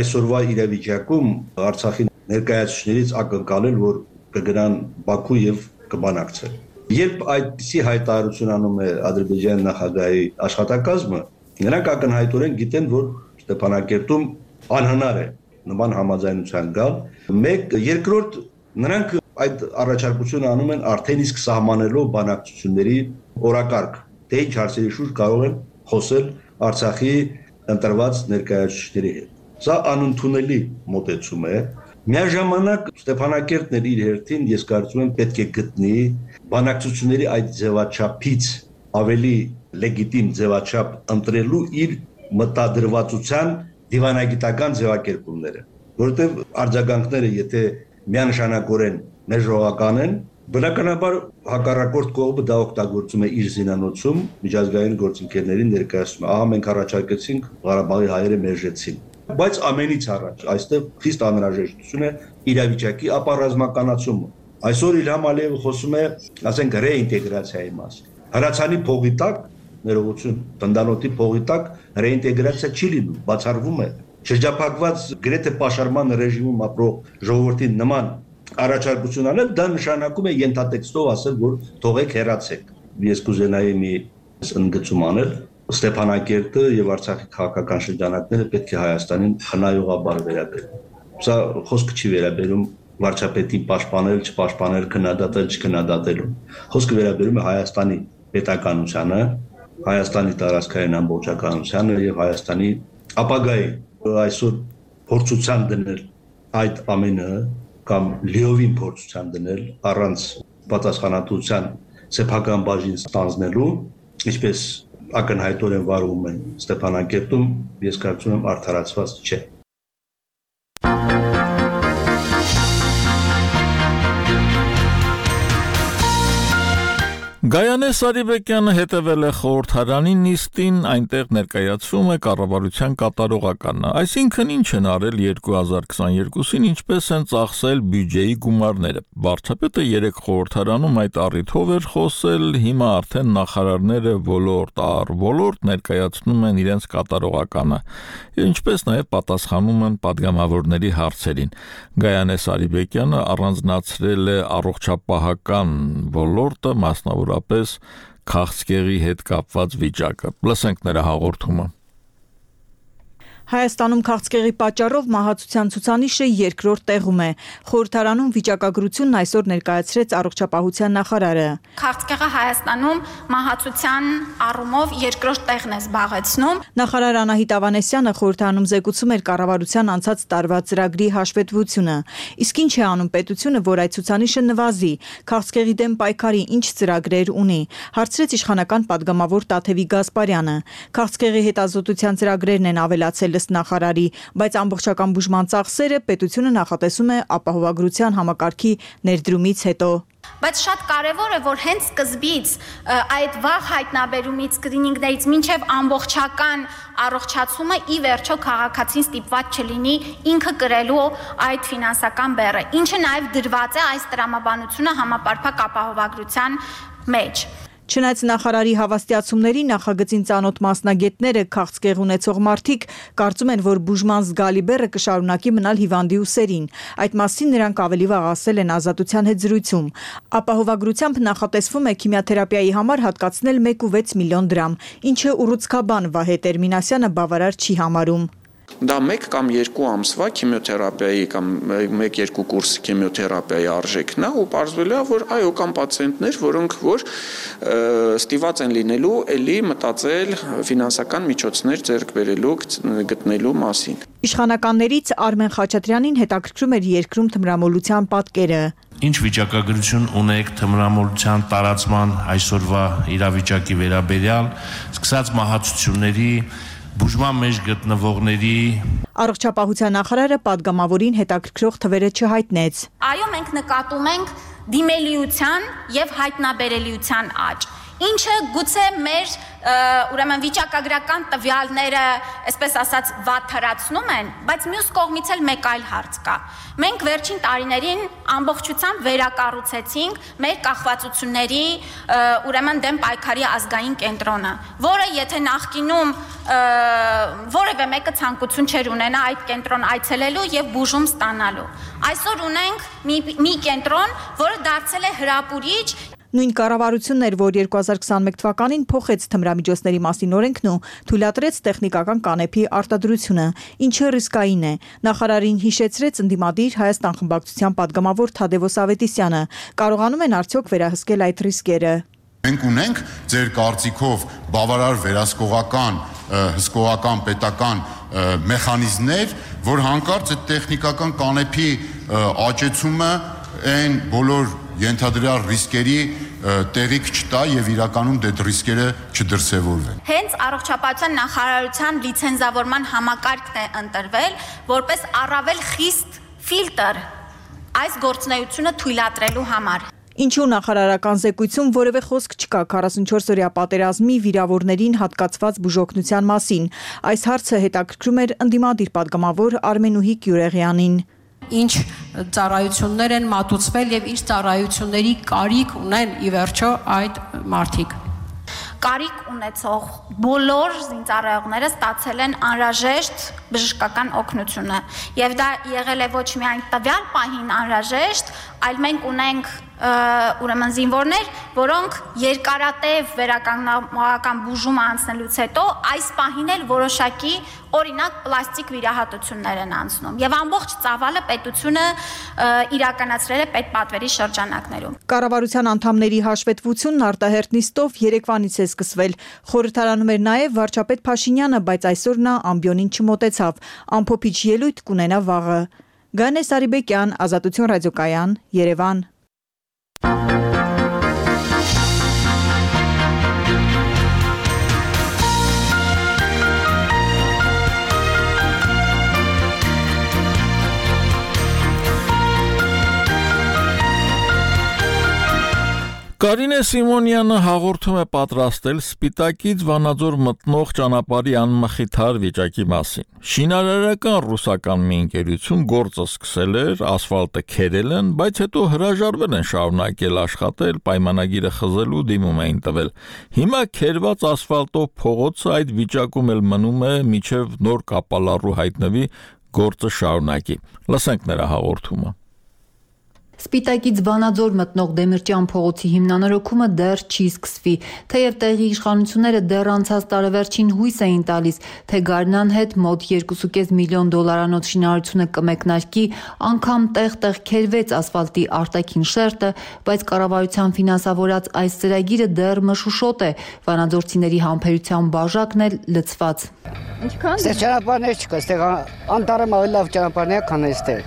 այսօրվա իրավիճակում Արցախի ներկայացուցիչներից ակնկալել, որ կգնան Բաքու եւ կբանակցեն։ Երբ այդպիսի հայտարարություն անում է Ադրբեջանի նախագահի աշխատակազմը, նրանք ակնհայտորեն գիտեն, որ Ստեփանակերտում անհնար է նման համաձայնության գալ։ Երկրորդ, նրանք այդ առաջարկությունը անում են արդեն իսկ սահմանելով բանակցությունների օրակարգ, թե ինչ հարցերի շուրջ կարող են խոսել Արցախի ընտրված ներկայացուցիչների հետ։ Սա անընդունելի մոտեցում է։ Միաժամանակ Ստեփանակերտն էլ իր հերթին, ես կարծում եմ, պետք է գտնի բանակցությունների այդ ձևաչափից ավելի լեգիտիմ ձևաչափ ընտրելու իր մտադրվածության դիվանագիտական ձևակերպումները, որովհետև արձագանքները, եթե միանշանակորեն մեժողական են, բնականաբար հակառակորդ կողմը դա օգտագործում է իր զինանոցում միջազգային գործընկերներին ներկայացնում։ Ահա մենք առաջարկեցինք, Ղարաբաղի հայերը մերժեցին։ Բայց ամենից առաջ այստեղ խիստ անհրաժեշտություն է իրավիճակի ապառազմականացումը։ Այսօր Իլհամ Ալիևը խոսում է, ասենք, ռեինտեգրացիայի մասին։ Հրացանի փողի տակ, ներողություն, Տնտանոթի փողի տակ ռեինտեգրացիա չի լինում, բացառվում է։ Շրջափակված գրեթե պաշարման ռեժիմում ապրող ժողովրդին նման առաջարկություն անել, դա նշանակում է ենթատեքստով ասել, որ թողեք հեռացեք։ Ես կուզենայի մի ընդգծում անել, Ստեփանակերտը եւ Արցախի քաղաքական շրջանակները պետք է Հայաստանին խնայողաբար վերաբերեն։ Սա խոսքը չի վերաբերում վարչապետի պաշտպանել, չպաշտպանել, քննադատել, չքննադատելու։ Խոսքը վերաբերում է Հայաստանի պետականությանը, Հայաստանի տարածքային ամբողջականությանը եւ Հայաստանի ապագայի այսօր փորձության դնել այդ ամենը կամ լիովին փորձության դնել առանց պատասխանատվության սեփական բաժին ստանձնելու, ինչպես ակնհայտորեն վարվում են Ստեփանակերտում, ես կարծում եմ արդարացված չէ։ Գայանե Սարիբեկյանը հետևել է խորհրդարանի նիստին, այնտեղ ներկայացվում է կառավարության կատարողականը, այսինքն ինչ են արել 2022-ին, ինչպես են ծախսել բյուջեի գումարները։ Վարչապետը երեք խորհրդարանում այդ առիթով էր խոսել, հիմա արդեն նախարարները ոլորտ առ ոլորտ ներկայացնում են իրենց կատարողականը, ինչպես նաև պատասխանում են պատգամավորների հարցերին։ Գայանե Սարիբեկյանը առանձնացրել է առողջապահական ոլորտը, մասնավորապես քաղցկեղի հետ կապված վիճակը։ Լսենք նրա հաղորդումը։ Հայաստանում քաղցկեղի պատճառով մահացության ցուցանիշը երկրորդ տեղում է։ Խորհրդարանում վիճակագրությունն այսօր ներկայացրեց առողջապահության նախարարը։ Քաղցկեղը Հայաստանում մահացության առումով երկրորդ տեղն է զբաղեցնում։ Նախարար Անահիտ Ավանեսյանը խորհրդարանում զեկուցում էր կառավարության անցած տարվա ծրագրի հաշվետվությունը։ Իսկ ինչ է անում պետությունը, որ այդ ցուցանիշը նվազի։ Քաղցկեղի դեմ պայքարի ինչ ծրագրեր ունի։ Հարցրեց իշխանական падգամավոր Տաթևի Գասպարյանը։ Քաղցկեղի հետազոտության ծրագրերն են ավելացել նախարարի, բայց ամբողջական բուժման ծախսերը պետությունը նախատեսում է ապահովագրության համակարգի ներդրումից հետո։ Բայց շատ կարևոր է, որ հենց սկզբից այդ վաղ հայտնաբերումից սկրինինգներից մինչև ամբողջական առողջացումը ի վերջո քաղաքացին ստիպված չլինի ինքը կրելու այդ ֆինանսական բեռը, ինչը նաև դրված է այս տրամաբանությունը համապարփակ ապահովագրության մեջ։ Չնայած նախարարի հավաստիացումների նախագծին ծանոթ մասնագետները քաղցկեղ ունեցող մարդիկ կարծում են, որ բուժման զգալի բեռը կշարունակի մնալ հիվանդի ուսերին։ Այդ մասին նրանք ավելի վաղ ասել են Ազատության հետ զրույցում։ Ապահովագրությամբ նախատեսվում է քիմիոթերապիայի համար հատկացնել 1.6 միլիոն դրամ, ինչը ուռուցքաբան Վահե Տերմինասյանը բավարար չի համարում։ Դա 1 կամ 2 ամսվա քիմիոթերապիայի կամ 1-2 կուրս քիմիոթերապիայի արժեքն է ու պարզվել է, որ այո, կան պացիենտներ, որոնք որ ստիված են լինելու էլի մտածել ֆինանսական միջոցներ ձեռք բերելու գտնելու մասին։ Իշխանականներից Արմեն Խաչատրյանին հետաքրքրում էր երկրում թմրամոլության պատկերը։ Ինչ վիճակագրություն ունեք թմրամոլության տարածման այսօրվա իրավիճակի վերաբերյալ, սկսած մահացությունների, բուժման մեջ գտնվողների։ Առողջապահության նախարարը падգամավորին հետաքրքրող թվերը չհայտնեց։ Այո, մենք նկատում ենք դիմելիության եւ հայտնաբերելիության աճ, ինչը գուցե մեր ուրեմն վիճակագրական տվյալները, այսպես ասած, վատթարացնում են, բայց մյուս կողմից էլ մեկ այլ հարց կա։ Մենք վերջին տարիներին ամբողջությամբ վերակառուցեցինք մեր կախվածությունների ուրեմն դեմ պայքարի ազգային կենտրոնը, որը եթե նախկինում որևէ մեկը ցանկություն չէր ունենա այդ կենտրոն այցելելու եւ բուժում ստանալու։ Այսօր ունենք մի կենտրոն, որը դարձել է հրապուրիչ։ Նույն կառավարությունն էր, որ 2021 թվականին փոխեց թմրամիջոցների մասին օրենքն ու թույլատրեց տեխնիկական կանեփի արտադրությունը, ինչը ռիսկային է։ Նախարարին հիշեցրեց ընդդիմադիր Հայաստան խմբակցության падգամավոր Թադևոս Ավետիսյանը։ Կարողանում են արդյոք վերահսկել այդ ռիսկերը։ Մենք ունենք ձեր կարծիքով բավարար վերահսկողական, հսկողական պետական մեխանիզմներ, որ հանկարծ այդ տեխնիկական կանեփի աճեցումը այն բոլոր ենթադրյալ ռիսկերի տեղիք չտա եւ իրականում դե ռիսկերը չդրսևորվեն։ Հենց առողջապահության նախարարության լիցենզավորման համակարգն է ընտրվել որպես առավել խիստ ֆիլտր այս գործունեությունը թույլատրելու համար։ Ինչու նախարարական զեկույցում որևէ խոսք չկա 44-օրյա պատերազմի վիրավորներին հատկացված բուժօգնության մասին։ Այս հարցը հետաքրքրում էր ընդդիմադիր падգամավոր Արմենուհի Գյուրեղյանին։ Ինչ ծառայություններ են մատուցվել եւ ինչ ծառայությունների կարիք ունեն ի վերջո այդ մարդիկ։ Կարիք ունեցող բոլոր զինծառայողները ստացել են անհրաժեշտ բժշկական օգնությունը եւ դա եղել է ոչ միայն տվյալ պահին անհրաժեշտ, այլ մենք ունենք ուրեմն զինվորներ, որոնք երկարատև վերականգնողական բուժում անցնելուց հետո այս պահին էլ որոշակի օրինակ պլաստիկ վիրահատություններ են անցնում եւ ամբողջ ծավալը պետությունը իրականացրել է պետպատվերի շրջանակներում։ Կառավարության անդամների հաշվետվությունն արտահերտ նիստով երեկվանից է սկսվել։ Խորհրդարանում էր նաեւ վարչապետ Փաշինյանը, բայց այսօր նա ամբիոնին չմոտեցավ։ Ամփոփիչ ելույթ կունենա վաղը։ Գանե Սարիբեկյան, Ազատություն ռադիոկայան, Երևան։ Կարինե Սիմոնյանը հաղորդում է պատրաստել Սպիտակից Վանաձոր մտնող ճանապարհի անմխիթար վիճակի մասին։ Շինարարական ռուսական մի ընկերություն գործը սկսել էր, ասֆալտը քերել են, բայց հետո հրաժարվել են շարունակել աշխատել, պայմանագիրը խզելու դիմում էին տվել։ Հիմա քերված ասֆալտով փողոցը այդ վիճակում էլ մնում է, մինչև նոր կապալառու հայտնվի գործը շարունակի։ Լսենք նրա հաղորդումը։ Սպիտակից Վանաձոր մտնող Դեմիրճյան փողոցի հիմնանորոգումը դեռ չի սկսվի, թեև տեղի իշխանությունները դեռ անցած տարեվերջին հույս էին տալիս, թե Գարնան հետ մոտ 2.5 միլիոն դոլարանոց շինարարությունը կմեկնարկի, անգամ տեղ-տեղ քերվեց ասֆալտի արտաքին շերտը, բայց կառավարության ֆինանսավորած այս ծրագիրը դեռ մշուշոտ է, վանաձորցիների համբերության բաժակն էլ լցված։ Ինչքան ճանապարհներ չկա, այստեղ անտառը ավելի լավ ճանապարհներ է, քան այստեղ։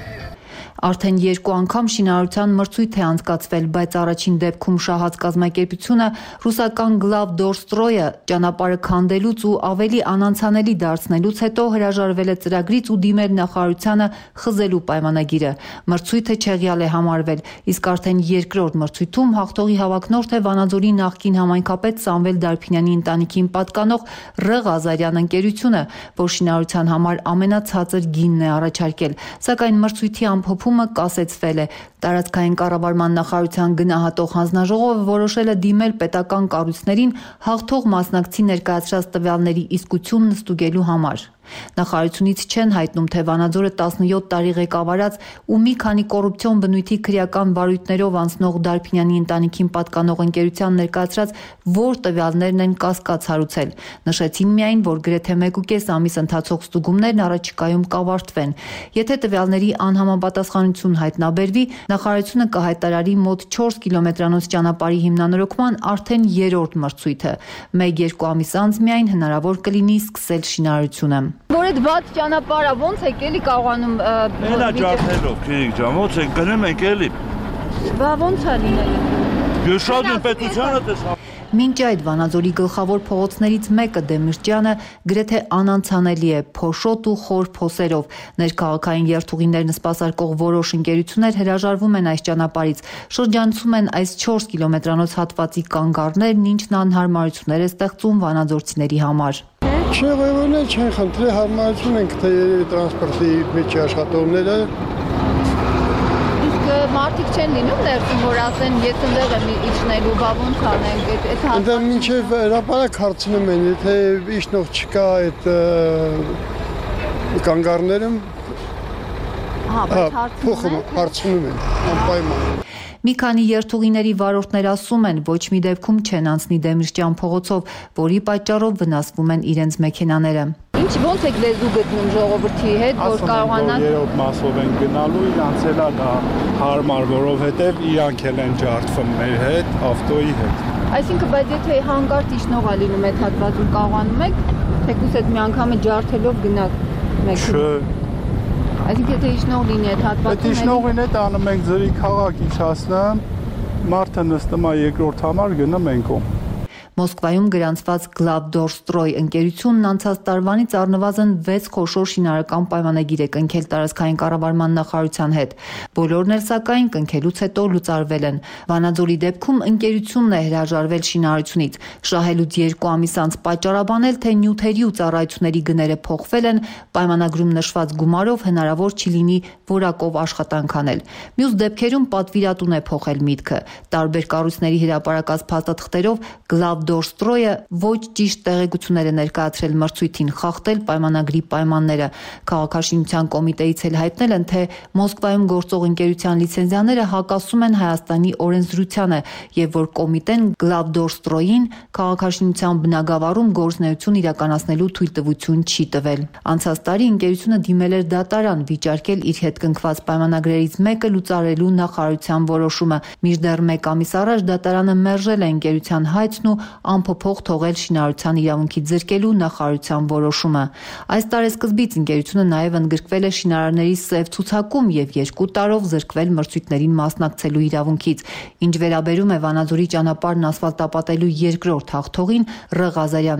Արդեն 2 անգամ շինարարության մրցույթ է անցկացվել, բայց առաջին դեպքում շահած կազմակերպությունը ռուսական Գլավդորստրոյը ճանապարհը քանդելուց ու ավելի անանցանելի դարձնելուց հետո հրաժարվել է ծրագրից ու դիմել նախարարությանը խզելու պայմանագիրը։ Մրցույթը չեղյալ է համարվել, իսկ արդեն երկրորդ մրցույթում հաղթողի հավակնորդ է Վանաձորի նախկին համայնքապետ Սամվել Դարփինյանի ընտանիքին պատկանող Ռ Ղազարյան ընկերությունը, որ շինարարության համար ամենացածր գինն է առաջարկել, սակայն մրցույթի ամփոփումը կասեցվել է։ Տարածքային կառավարման նախարարության գնահատող հանձնաժողովը որոշել է դիմել պետական կառույցներին հաղթող մասնակցի ներկայացրած տվյալների իսկությունն ստուգելու համար։ Նախարարությունից չեն հայտնում, թե Վանաձորը 17 տարի ղեկավարած ու մի քանի կոռուպցիոն բնույթի քրեական վարույթներով անցնող Դարփինյանի ընտանիքին պատկանող ընկերության ներկայացրած որ տվյալներն են կասկած հարուցել։ Նշեցին միայն, որ գրեթե 1.5 ամիս ընթացող ստուգումներն առաջիկայում կավարտվեն։ Եթե տվյալների անհամապատասխանություն հայտնաբերվի, նախարարությունը կհայտարարի մոտ 4 կիլոմետրանոց ճանապարհի հիմնանորոգման արդեն 3-րդ մրցույթը։ 1-2 ամիս անց միայն հնարավոր կլինի սկսել շինարարությունը։ Որ այդ բաց ճանապարհը ոնց եք էլի կարողանում Էլա ջարդելով, քիրիկ ջան, ոնց եք գնում եք էլի։ Բա ոնց է լինելու։ Գյուշադուն պետությանը տեսա։ Մինչ այդ Վանաձորի գլխավոր փողոցներից մեկը Դեմիրճյանը գրեթե անանցանելի է փոշոտ ու խոր փոսերով։ Ներքաղաքային երթուղիներն սպասարկող որոշ ընկերություններ հրաժարվում են այս ճանապարհից, շրջանցում են այս 4 կիլոմետրանոց հատվածի կանգառներն, ինչն անհարմարություններ է ստեղծում վանաձորցիների համար։ Չեղևորն չեն խնդրի հարմարություն ենք թե տրանսպորտի մեջ աշխատողները Մարդիկ չեն լինում ներսում, որ ասեն, ես ընդեղ եմ իջնելու, բա ոնց անենք, այդ Այնտեղ մինչև հրապարակ հարցնում են, եթե իջնող չկա այդ կանգառներում, հարցնում են, անպայման։ Մի քանի երթուղիների վարորդներ ասում են, ոչ մի դեպքում չեն անցնի Դեմիրճյան փողոցով, որի պատճառով վնասվում են իրենց մեքենաները։ Ինչ ոնց եք լեզու գտնում ժողովրդի հետ, որ կարողանան երրորդ մասով են գնալու, իրանց էլ դա հարմար, որովհետև իրանք էլ են ջարդվում մեր հետ, ավտոյի հետ։ Այսինքն, բայց եթե հանկարծ իջնող է լինում այդ հատվածում կարողանում եք, թեկուզ այդ մի անգամը ջարդելով գնաք մեքենա։ Այսինքն, եթե իջնող լինի այդ հատվածում, այդ իջնողին հետ անում ենք ձրի քաղաք իջացնում, մարդը նստում է երկրորդ համար, գնում ենք ում։ Մոսկվայում գրանցված Գլավդորստրոյ ընկերությունն անցած տարվանից առնվազն 6 խոշոր շինարարական պայմանագիր է կնքել տարածքային կառավարման նախարարության հետ։ Բոլորն էլ սակայն կնքելուց հետո լուծարվել են։ Վանաձորի դեպքում ընկերությունն է հրաժարվել շինարարությունից։ Շահելուց 2 ամիս անց պատճառաբանել, թե նյութերի ու ծառայությունների գները փոխվել են, պայմանագրում նշված գումարով հնարավոր չի լինի որակով աշխատանք անել։ Մյուս դեպքերում պատվիրատուն է փոխել միտքը։ Տարբեր կառույցների հրապարակած փաստաթղթերով Դորստրոյը ոչ ճիշտ տեղեկություններ է ներկայացրել մրցույթին, խախտել պայմանագրի պայմանները։ Քաղաքաշինության կոմիտեից էլ հայտնել են, թե Մոսկվայում գործող ընկերության լիցենզիաները հակասում են Հայաստանի օրենսդրությանը եւ որ կոմիտեն Գլավդորստրոյին քաղաքաշինության բնագավառում գործունեություն իրականացնելու թույլտվություն չի տվել։ Անցած տարի ընկերությունը դիմել էր դատարան վիճարկել իր հետ կնքված պայմանագրերից մեկը լուծարելու նախարարության որոշումը։ Մինչդեռ 1 ամիս առաջ դատարանը մերժել է ընկերության հայցն ու անփոփոխ թողել շինարարության իրավունքի ձեռքելու նախարարության որոշումը։ Այս տարեսկզբից ընկերությունը նաև ընդգրկվել է շինարարների սև ցուցակում եւ 2 տարով զրկվել մրցույթներին մասնակցելու իրավունքից։ Ինչ վերաբերում է Վանաձորի ճանապարհն ասֆալտապատելու երկրորդ հաղթողին Ռ.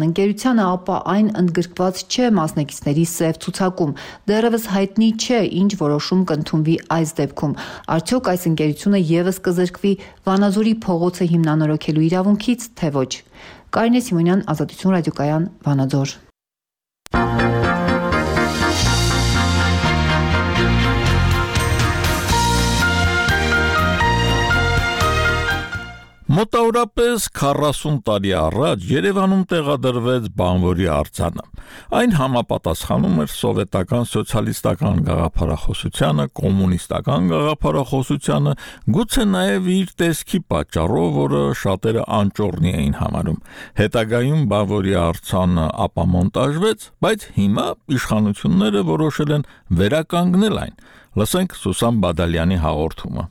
ընկերությանը, ապա այն ընդգրկված չէ մասնակիցների սև ցուցակում։ Դեռևս հայտնի չէ, ինչ որոշում կընդունվի այս դեպքում։ Արդյոք այս ընկերությունը եւս կզրկվի Վանաձորի փողոցը հիմնանորոգելու իրավունքից, թե ոչ։ Կարինե Սիմոնյան, Ազատություն ռադիոկայան, Վանաձոր։ Մոտավորապես 40 տարի առաջ Երևանում տեղադրվեց բանվորի արձանը։ Այն համապատասխանում էր սովետական սոցիալիստական գաղափարախոսությանը, կոմունիստական գաղափարախոսությանը, գուցե նաև իր տեսքի պատճառով, որը շատերը անճոռնի էին համարում։ Հետագայում բանվորի արձանը ապամոնտաժվեց, բայց հիմա իշխանությունները որոշել են վերականգնել այն։ Լսենք Սուսան Բադալյանի հաղորդումը։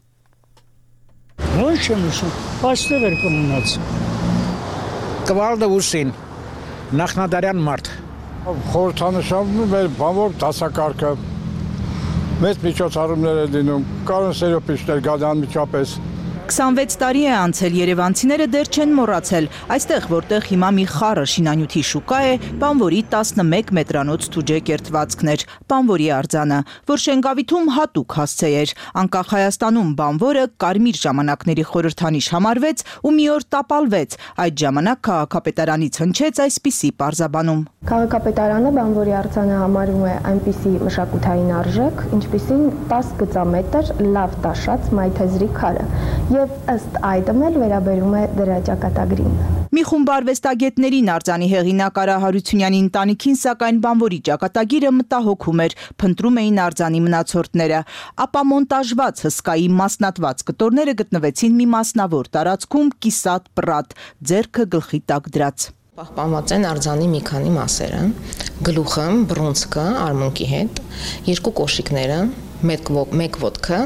Ոնց եմ ուշում, պաստեր էր կմնաց։ Կվալդը ուսին, նախնադարյան մարդ։ Խորհրդանշանում էր բանվոր դասակարգը, մեծ միջոցառումներ է դինում, կարոն սերոպիչներ գան անմիջապես։ 26 տարի է անցել, երևանցիները դեռ չեն մոռացել, այստեղ որտեղ հիմա մի խառը շինանյութի շուկա է, բանվորի 11 մետրանոց թուջե կերտվածքներ, բանվորի արձանը, որ Շենգավիթում հատուկ հասցե էր, անկախ Հայաստանում բանվորը կարմիր ժամանակների խորհրդանիշ համարվեց ու մի օր տապալվեց, այդ ժամանակ քաղաքապետարանից հնչեց այսպիսի պարզաբանում։ Քաղաքապետարանը բանվորի արձանը համարում է այնպիսի մշակութային արժեք, ինչպիսին 10 գծամետր լավ տաշած մայթեզրի քարը եւ ըստ այդմ էլ վերաբերում է դրա ճակատագրին։ Մի խումբ արվեստագետներին արձանի հեղինակ Արա Հարությունյանի ընտանիքին սակայն բանվորի ճակատագիրը մտահոգում էր, փնտրում էին արձանի մնացորդները, ապա մոնտաժված հսկայի մասնատված կտորները գտնվեցին մի մասնավոր տարածքում կիսատ պռատ, ձեռքը գլխի տակ դրած։ Պահպանված են արձանի մի քանի մասերը, գլուխը, բռունցքը արմունկի հետ, երկու կոշիկները, մեկ ոտքը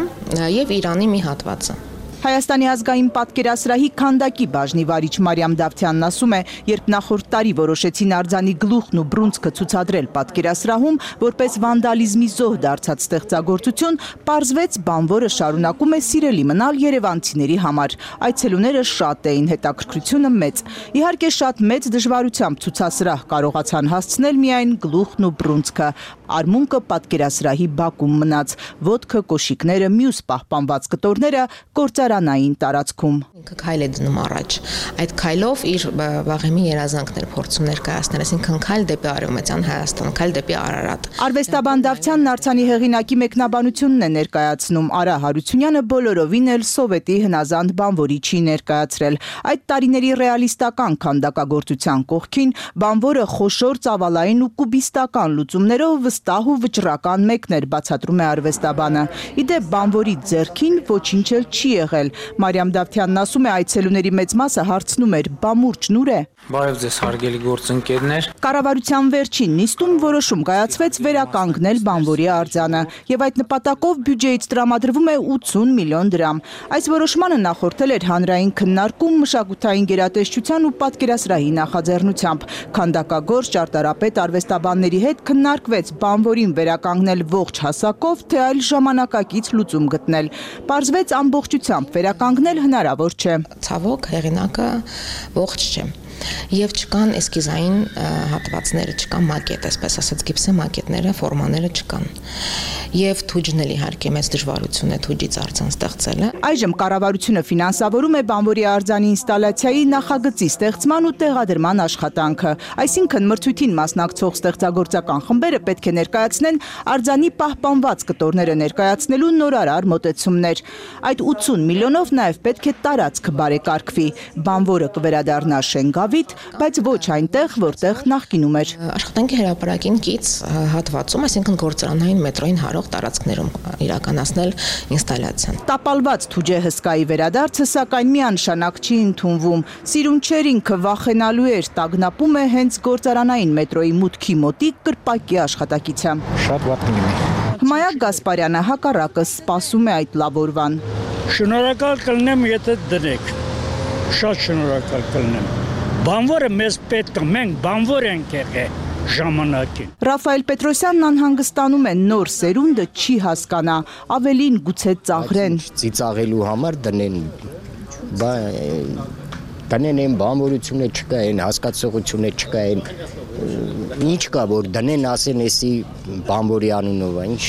եւ Իրանի մի հատվածը։ Հայաստանի ազգային պատկերասրահի քանդակի բաժնի վարիչ Մարիամ Դավթյանն ասում է, երբ նախորդ տարի որոշեցին արձանի գլուխն ու բռունցքը ցուցադրել պատկերասրահում, որպես վանդալիզմի զոհ դարձած ստեղծագործություն, պարզվեց բանվորը շարունակում է սիրելի մնալ երևանցիների համար։ Այցելուները շատ էին, հետաքրքրությունը մեծ։ Իհարկե շատ մեծ դժվարությամբ ցուցասրահ կարողացան հասցնել միայն գլուխն ու բռունցքը։ Արմունկը պատկերասրահի բակում մնաց, ոտքը, կոշիկները, մյուս պահպանված կտորները գործարանային տարածքում։ Ինքը քայլ է դնում առաջ։ Այդ քայլով իր վաղեմի երազանքներ փորձում ներկայացնել, այսինքն քայլ դեպի Արևմտյան Հայաստան, քայլ դեպի Արարատ։ Արվեստաբան Դավթյանն արձանի հեղինակի մեկնաբանությունն է ներկայացնում։ Արա Հարությունյանը բոլորովին էլ սովետի հնազանդ բանվորի չի ներկայացրել։ Այդ տարիների ռեալիստական քանդակագործության կողքին բանվորը խոշոր ծավալային ու կուբիստական լուծումներով վստահ ու վճռական մեկն էր, բացատրում է արվեստաբանը։ Իդեպ բանվորի ձեռքին ոչինչ էլ չի եղել։ Մարիամ Դավթյանն ասում է, այցելուների մեծ մասը հարցնում էր՝ բամուրջն ուր է։ Բարև ձեզ հարգելի գործընկերներ։ Կառավարության վերջին նիստում որոշում կայացվեց վերականգնել բանվորի արձանը եւ այդ նպատակով բյուջեից տրամադրվում է 80 միլիոն դրամ։ Այս որոշմանը նախորդել էր հանրային քննարկում մշակութային գերատեսչության ու պատկերասրահի նախաձեռնությամբ։ Քանդակագործ, ճարտարապետ, արվեստաբանների հետ քննարկվեց բանվորին վերականգնել ողջ հասակով, թե այլ ժամանակակից լուծում գտնել։ Պարզվեց ամբողջությամբ վերականգնել հնարավոր չէ։ Ցավոք հեղինակը ողջ չէ։ Եվ չկան էսկիզային հատվածները, չկան մակետ, այսպես ասած գիպսե մակետները, ֆորմաները չկան։ Եվ թուջն էլ իհարկե մեծ դժվարություն է թուջից արձան ստեղծելը։ Այժմ կառավարությունը ֆինանսավորում է բանվորի արձանի ինստալացիայի նախագծի ստեղծման ու տեղադրման աշխատանքը։ Այսինքն մրցույթին մասնակցող ստեղծագործական խմբերը պետք է ներկայացնեն արձանի պահպանված կտորները ներկայացնելու նորարար մոտեցումներ։ Այդ 80 միլիոնով նաև պետք է տարածք բարեկարգվի։ Բանվորը կվերադառնա Շենգավիթ, բայց ոչ այնտեղ, որտեղ նախկինում էր։ Աշխատանքի հրապարակին կից հատվածում, այսինքն գործարանային մետրոյին հարող տարածքներում իրականացնել ինստալացիան։ Տապալված թուջե հսկայի վերադարձը սակայն միանշանակ չի ընդունվում։ Սիրունչեր ինքը վախենալու էր, տագնապում է հենց գործարանային մետրոյի մուտքի մոտիկ կրպակի աշխատակիցը։ Շատ վատ կլինի։ Հմայակ Գասպարյանը հակառակը սպասում է այդ լավ օրվան։ Շնորհակալ կլինեմ, եթե դնեք։ Շատ շնորհակալ կլինեմ։ Բանվորը մեզ պետք է, մենք բանվոր ենք եղել ժամանակին։ Ռաֆայել Պետրոսյանն անհանգստանում է, նոր սերունդը չի հասկանա, ավելին գուցե ծաղրեն։ Ծիծաղելու համար դնեն, դնեն են բանվորությունը չկա, են հասկացողությունը չկա, ինչ կա, որ դնեն ասեն էսի բանվորի անունով, ինչ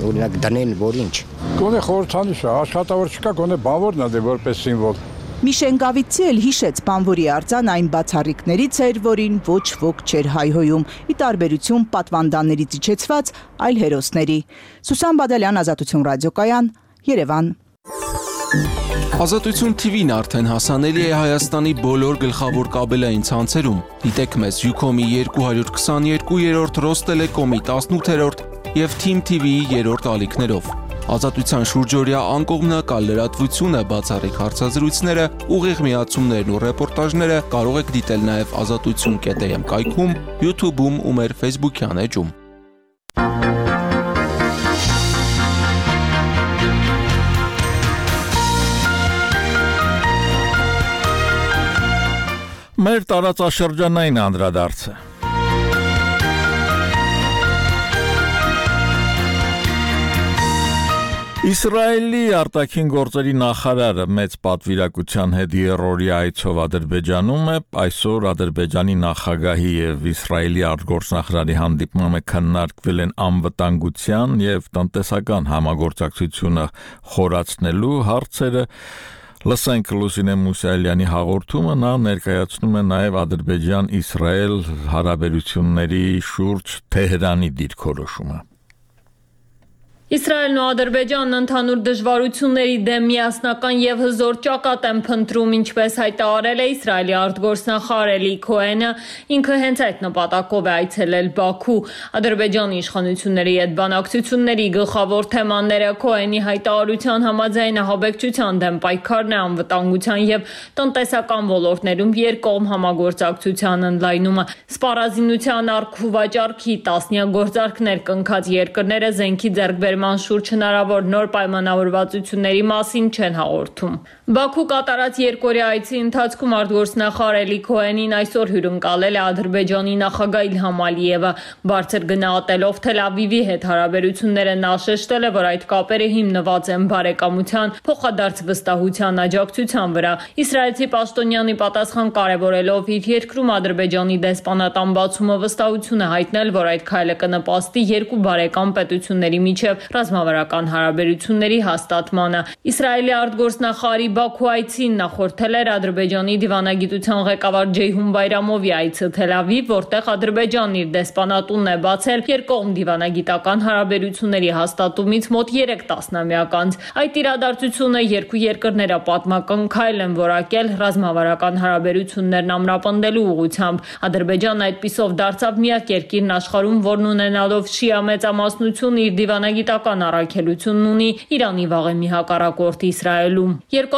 օրինակ դնեն, որ ինչ։ Գոնե խորհրդանիշ է, աշխատավոր չկա, գոնե բանվորն է որպես սիմվոլ։ Միշենգավիցի էլ հիշեց բանվորի արձան այն բացառիկներից էր, որին ոչ ոք չէր հայհոյում, ի տարբերություն պատվանդաններից իջեցված այլ հերոսների։ Սուսան Բադալյան, Ազատություն ռադիոկայան, Երևան։ Ազատություն TV-ն արդեն հասանելի է Հայաստանի բոլոր գլխավոր կաբելային ցանցերում։ Դիտեք մեզ Ucom-ի 222-րդ, Ռոստելեկոմի 18-րդ եւ Team TV-ի 3-րդ ալիքներով։ Ազատության շուրջօրյա անկողմնակալ լրատվությունը, բացառիկ հարցազրույցները, ուղիղ միացումներն ու ռեպորտաժները կարող եք դիտել նաև azatutsun.am կայքում, YouTube-ում ու մեր Facebook-յան էջում։ Մեր տարածաշրջանային անդրադարձը։ Իսրայելի արտաքին գործերի նախարարը մեծ պատվիրակության հետ երրորդի այցով Ադրբեջանում է, այսօր Ադրբեջանի նախագահի եւ Իսրայելի արտգործնախարարի հանդիպմանը քննարկվել են անվտանգության եւ տնտեսական համագործակցությունը խորացնելու հարցերը։ Լսենք Լուսինե Մուսայելյանի հաղորդումը, նա ներկայացնում է նաեւ Ադրբեջան-Իսրայել հարաբերությունների շուրջ Թեհրանի դիրքորոշումը։ Իսրայելն ու Ադրբեջանն ընդհանուր դժվարությունների դեմ միասնական եւ հզոր ճակատ են փնտրում, ինչպես հայտարարել է Իսրայելի արտգործնախարար Էլի Քոհենը, ինքը հենց այդ նպատակով է այցելել Բաքու։ Ադրբեջանի իշխանությունների հետ բանակցությունների գլխավոր թեմաները Քոհենի հայտարարության համաձայն ահաբեկչության դեմ պայքարն է, անվտանգության եւ տնտեսական ոլորտներում երկկողմ համագործակցության ընդլայնումը, սպառազինության առք ու վաճառքի տասնյակ գործարքներ կնքած երկրները զենքի ձեռքբերման շուրջ հնարավոր նոր պայմանավորվածությունների մասին չեն հաղորդում։ Բաքու կատարած երկօրյա այցի ընթացքում արտգործնախարար Էլի Քոհենին այսօր հյուրընկալել է Ադրբեջանի նախագահ Իլհամ Ալիևը, բարձր գնահատելով Թել Ավիվի հետ հարաբերությունները նա շեշտել է, որ այդ կապերը հիմնված են բարեկամության, փոխադարձ վստահության, աջակցության վրա։ Իսրայելցի պաշտոնյանի պատասխան կարևորելով իր երկրում Ադրբեջանի դեսպանատան բացումը վստահություն է հայտնել, որ այդ քայլը կնպաստի երկու բարեկամ պետությունների միջև ռազմավարական հարաբերությունների հաստատմանը։ Իսրայելի արտգործնախարարի Բաքու այցին նախորդել էր Ադրբեջանի դիվանագիտության ղեկավար Ջեյհուն Բայրամովի այցը Թել Ավիվ, որտեղ Ադրբեջանն իր դեսպանատունն է բացել երկկողմ դիվանագիտական հարաբերությունների հաստատումից մոտ 3 տասնամյակ անց։ Այդ իրադարձությունը երկու երկրները պատմական քայլ են որակել ռազմավարական հարաբերություններն ամրապնդելու ուղղությամբ։ Ադրբեջանն այդպիսով դարձավ միակ երկիրն աշխարհում, որն ունենալով շիա մեծամասնություն իր դիվանագիտական առաքելությունն ունի Իրանի վաղեմի հակառակորդ Իսրայելում։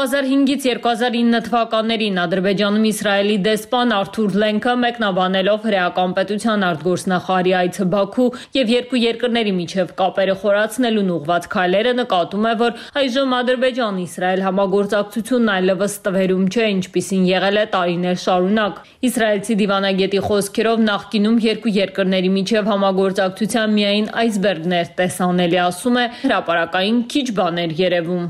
2005-ից 2009 թվականներին Ադրբեջանում Իսրայելի դեսպան Արթուր Լենքը մեկնաբանելով հրեական պետության արտգործնախարարի այցը Բաքու եւ երկու երկրների միջև կապերը խորացնելուն ուղղված քայլերը նկատում է, որ այժմ Ադրբեջան-Իսրայել համագործակցությունն այլևս տվերում չէ, ինչպիսին եղել է տարիներ շարունակ։ Իսրայելցի դիվանագետի խոսքերով նախկինում երկու երկրների միջև համագործակցության միայն այսբերգն էր տեսանելի, ասում է, հրապարակային քիչ բաներ երևում։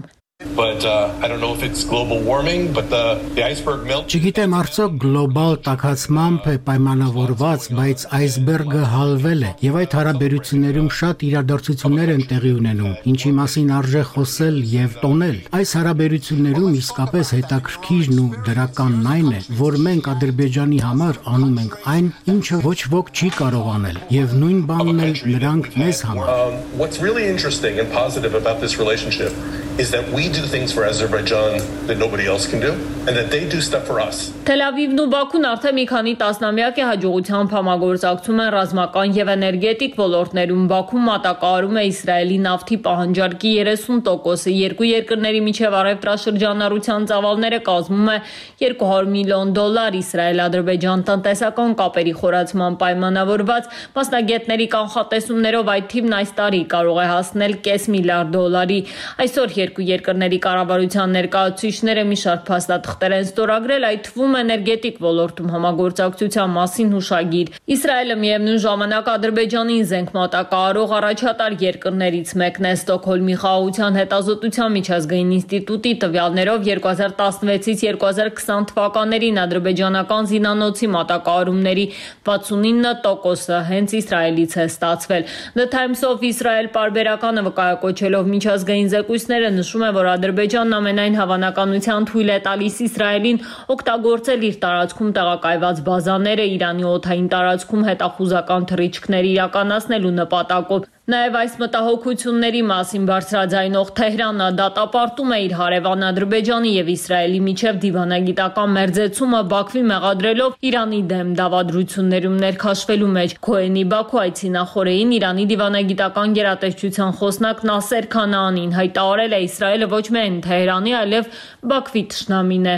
But I don't know if it's global warming, but the iceberg melt. Չգիտեմ արդյոք գլոբալ տաքացմամբ է պայմանավորված, բայց այսբերգը հալվել է եւ այդ հարաբերություններում շատ իրադարձություններ են տեղի ունենում, ինչի մասին արժե խոսել եւ տոնել։ Այս հարաբերություններում իսկապես հետաքրքիրն ու դրականն այն է, որ մենք Ադրբեջանի համար անում ենք այն, ինչը ոչ ոք չի կարող անել, եւ նույն բանն էլ նրանք մեզ համար։ What's really interesting and positive about this relationship is that we do things for Azerbaijan that nobody else can do and that they do stuff for us. Թել Ավիվն ու Բաքուն արդեն մի քանի տասնամյակ է հաջողությամբ համագործակցում են ռազմական եւ էներգետիկ ոլորտներում։ Բաքուն մատակարարում է Իսրայելի նավթի պահանջարկի 30%-ը, երկու երկրների միջև առևտրաշրջանառության ծավալները կազմում է $200 միլիոն։ Իսրայել-Ադրբեջան տնտեսական կապերի խորացման պայմանավորված մասնագետների կանխատեսումներով այդ թիվն այս տարի կարող է հասնել $500 միլիարդ։ Այսօր երկու երկրների կառավարության ներկայացուցիչները մի շարք փաստաթղթեր են ստորագրել, այդ թվում էներգետիկ ոլորտում համագործակցության մասին հուշագիր։ Իսրայելը միևնույն ժամանակ Ադրբեջանին զենք մատակարարող առաջատար երկրներից մեկն է։ Ստոկհոլմի խաղաղության հետազոտության միջազգային ինստիտուտի տվյալներով 2016-ից 2020 թվականներին ադրբեջանական զինանոցի մատակարարումների 69%-ը հենց Իսրայելից է ստացվել։ The Times of Israel պարբերականը վկայակոչելով միջազգային զեկույցները նշում է, որ Ադրբեջանն ամենայն հավանականությամբ թույլ է տալիս Իսրայելին օգտագործել իր տարածքում տեղակայված բազաները Իրանի օդային տարածքում հետախուզական թռիչքներ իրականացնելու նպատակով։ Նաև այս մտահոգությունների մասին բարձրաձայնող Թեհրանը դատապարտում է իր հարևան Ադրբեջանի եւ Իսրայելի միջև դիվանագիտական մերձեցումը Բաքվի մեղադրելով Իրանի դեմ դավադրություններում ներքաշվելու մեջ։ Քոհենի Բաքու այցի նախօրեին Իրանի դիվանագիտական գերատեսչության խոսնակ Նասեր Քանաանին հայտարարել է Իսրայելը ոչ միայն Թեհրանի, այլև Բաքվի թշնամին է։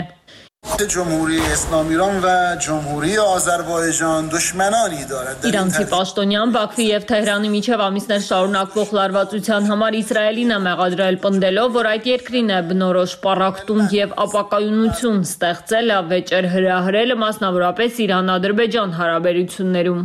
جمهوری اسلامی ایران و جمهوری آذربایجان دشمنانی دارد. Իրանցի պաշտոնյան Բաքվի եւ Թեհրանի միջև ամիսներ շարունակվող լարվածության համար Իսրայելին է մեղադրել պնդելով, որ այդ երկրին է բնորոշ պառակտում եւ ապակայունություն ստեղծել ավեճեր հրահրելը մասնավորապես Իրան-Ադրբեջան հարաբերություններում։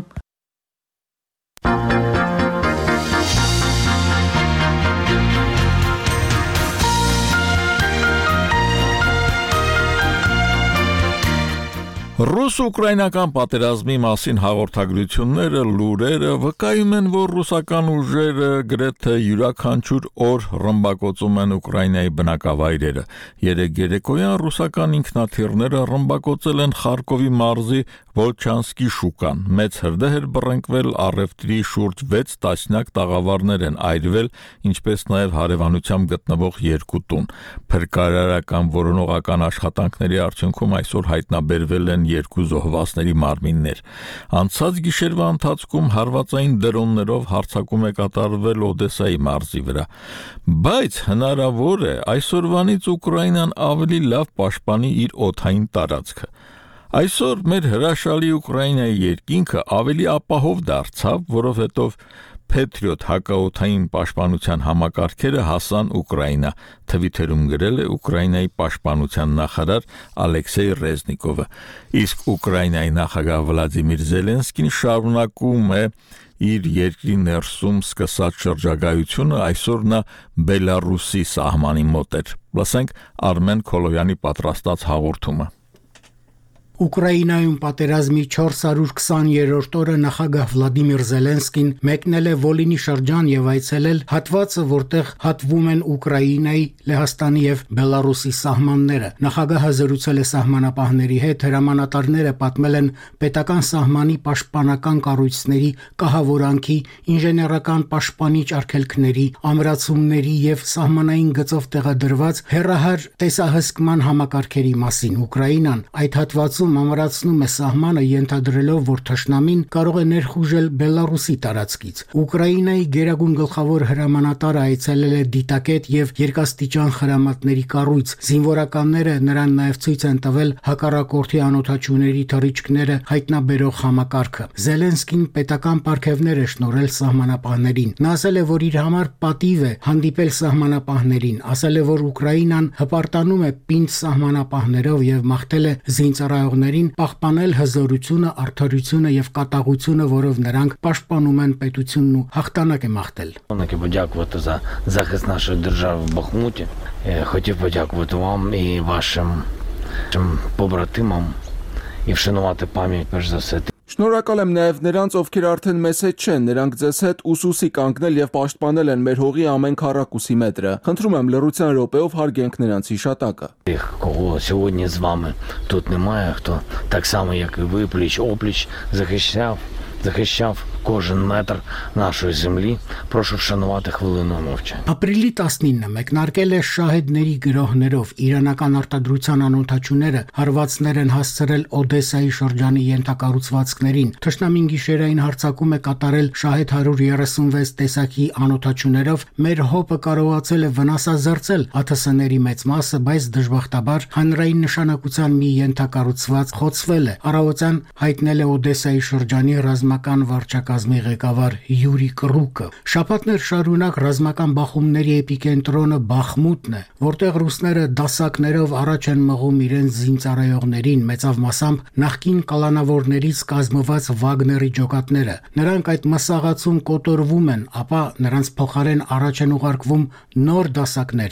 Ռուս-ուկրաինական պատերազմի մասին հաղորդագրությունները, լուրերը վկայում են, որ ռուսական ուժերը գրեթե յուրաքանչյուր օր ռմբակոծում են Ուկրաինայի բնակավայրերը։ Երեկ երեկոյան ռուսական ինքնաթիռները ռմբակոծել են Խարկովի մարզի Վոլչանսկի շուկան։ Մեծ հրդեհ էր բռնկվել, առևտրի շուրջ 6 տասնյակ տաղավարներ են այրվել, ինչպես նաև հարևանությամբ գտնվող 2 տուն։ Փրկարարական որոնողական աշխատանքների արդյունքում այսօր հայտնաբերվել են 2 զոհվածների մարմիններ։ Անցած գիշերվա ընթացքում հարվածային դրոններով հարձակում է կատարվել Օդեսայի մարզի վրա։ Բայց հնարավոր է այսօրվանից Ուկրաինան ավելի լավ պաշտպանի իր օդային տարածքը։ Այսօր մեր հրաշալի Ուկրաինայի երկինքը ավելի ապահով դարձավ, որովհետև Patriot հակաօդային պաշտպանության համակարգերը հասան Ուկրաինա, թվիթերում գրել է Ուկրաինայի պաշտպանության նախարար Ալեքսեյ Ռեզնիկովը։ Իսկ Ուկրաինայի նախագահ Վլադիմիր Զելենսկին շարունակում է իր երկրի ներսում սկսած շրջագայությունը, այսօր նա Բելարուսի սահմանի մոտ էր։ Լսենք Արմեն Քոլոյանի պատրաստած հաղորդումը։ Ուկրաինայում պատերազմի 420-րդ օրը նախագահ Վլադիմիր Զելենսկին մեկնել է Վոլինի շրջան եւ այցելել հատվածը, որտեղ հատվում են Ուկրաինայի, Լեհաստանի եւ Բելարուսի սահմանները։ Նախագահը զրուցել է սահմանապահների հետ, հրամանատարները պատմել են պետական սահմանի պաշտպանական կառույցների կահավորանքի, ինժեներական պաշտպանիչ արգելքների, ամրացումների եւ սահմանային գծով տեղադրված հեռահար տեսահսկման համակարգերի մասին։ Ուկրաինան այդ հատվածում ամրացնում է սահմանը, ենթադրելով, որ թշնամին կարող է ներխուժել Բելարուսի տարածքից։ Ուկրաինայի գերագույն գլխավոր հրամանատարը այցելել է դիտակետ եւ երկաստիճան խրամատների կառույց։ Զինվորականները նրան նաեւ ցույց են տվել հակառակորդի անօդաչուների թռիչքները հայտնաբերող համակարգը։ Զելենսկին պետական պարգևներ է շնորհել սահմանապահներին։ Նա ասել է, որ իր համար պատիվ է հանդիպել սահմանապահներին, ասել է, որ Ուկրաինան հպարտանում է պինդ սահմանապահներով եւ մաղթել է զինծառայողներին պահպանել հզորությունը, արդարությունը եւ կատաղությունը, որով նրանք պաշտպանում են պետությունն ու հաղթանակ է մաղթել։ Подякувати за захист нашої держави в Бахмуті. Хотів подякувати вам і вашим побратимам і вшанувати пам'ять перш за все. Շնորհակալ եմ նաև նրանց, ովքեր արդեն մեզ հետ չեն, նրանք ձեզ հետ ուսուսի կանգնել եւ պաշտպանել են մեր հողի ամեն քառակուսի մետրը։ Խնդրում եմ լռության րոպեով հարգենք նրանց հիշատակը։ Кого сьогодні з вами тут немає, хто так само, як і ви, пліч-опліч захищав кожен метр нашої землі. Прошу вшанувати хвилиною мовчання. Ապրիլի 19-ը մեկնարկել է շահեդների գրոհներով իրանական արտադրության անօդաչուները հարվածներ են հասցրել Օդեսայի շրջանի ենթակառուցվածքներին։ Թշնամին գիշերային հարձակում է կատարել շահեդ 136 տեսակի անօդաչուներով։ Մեր հոպը կարողացել է վնասազերծել ԱԹՍ-ների մեծ մասը, բայց դժբախտաբար հանրային նշանակության մի ենթակառուցված խոցվել է։ Առավոտյան հայտնել է Օդեսայի շրջանի ռազմական վարչակազմի ղեկավար Յուրի Կռուկը։ Շաբաթներ շարունակ ռազմական բախումների էպիկենտրոնը Բախմուտն է, որտեղ ռուսները դասակներով առաջ են մղում իրենց զինծառայողներին, մեծավ մասամբ նախկին կալանավորներից կազմված Վագների ջոկատները։ Նրանք այդ մսաղացում կոտորվում են, ապա նրանց փոխարեն առաջ են ուղարկվում նոր դասակներ։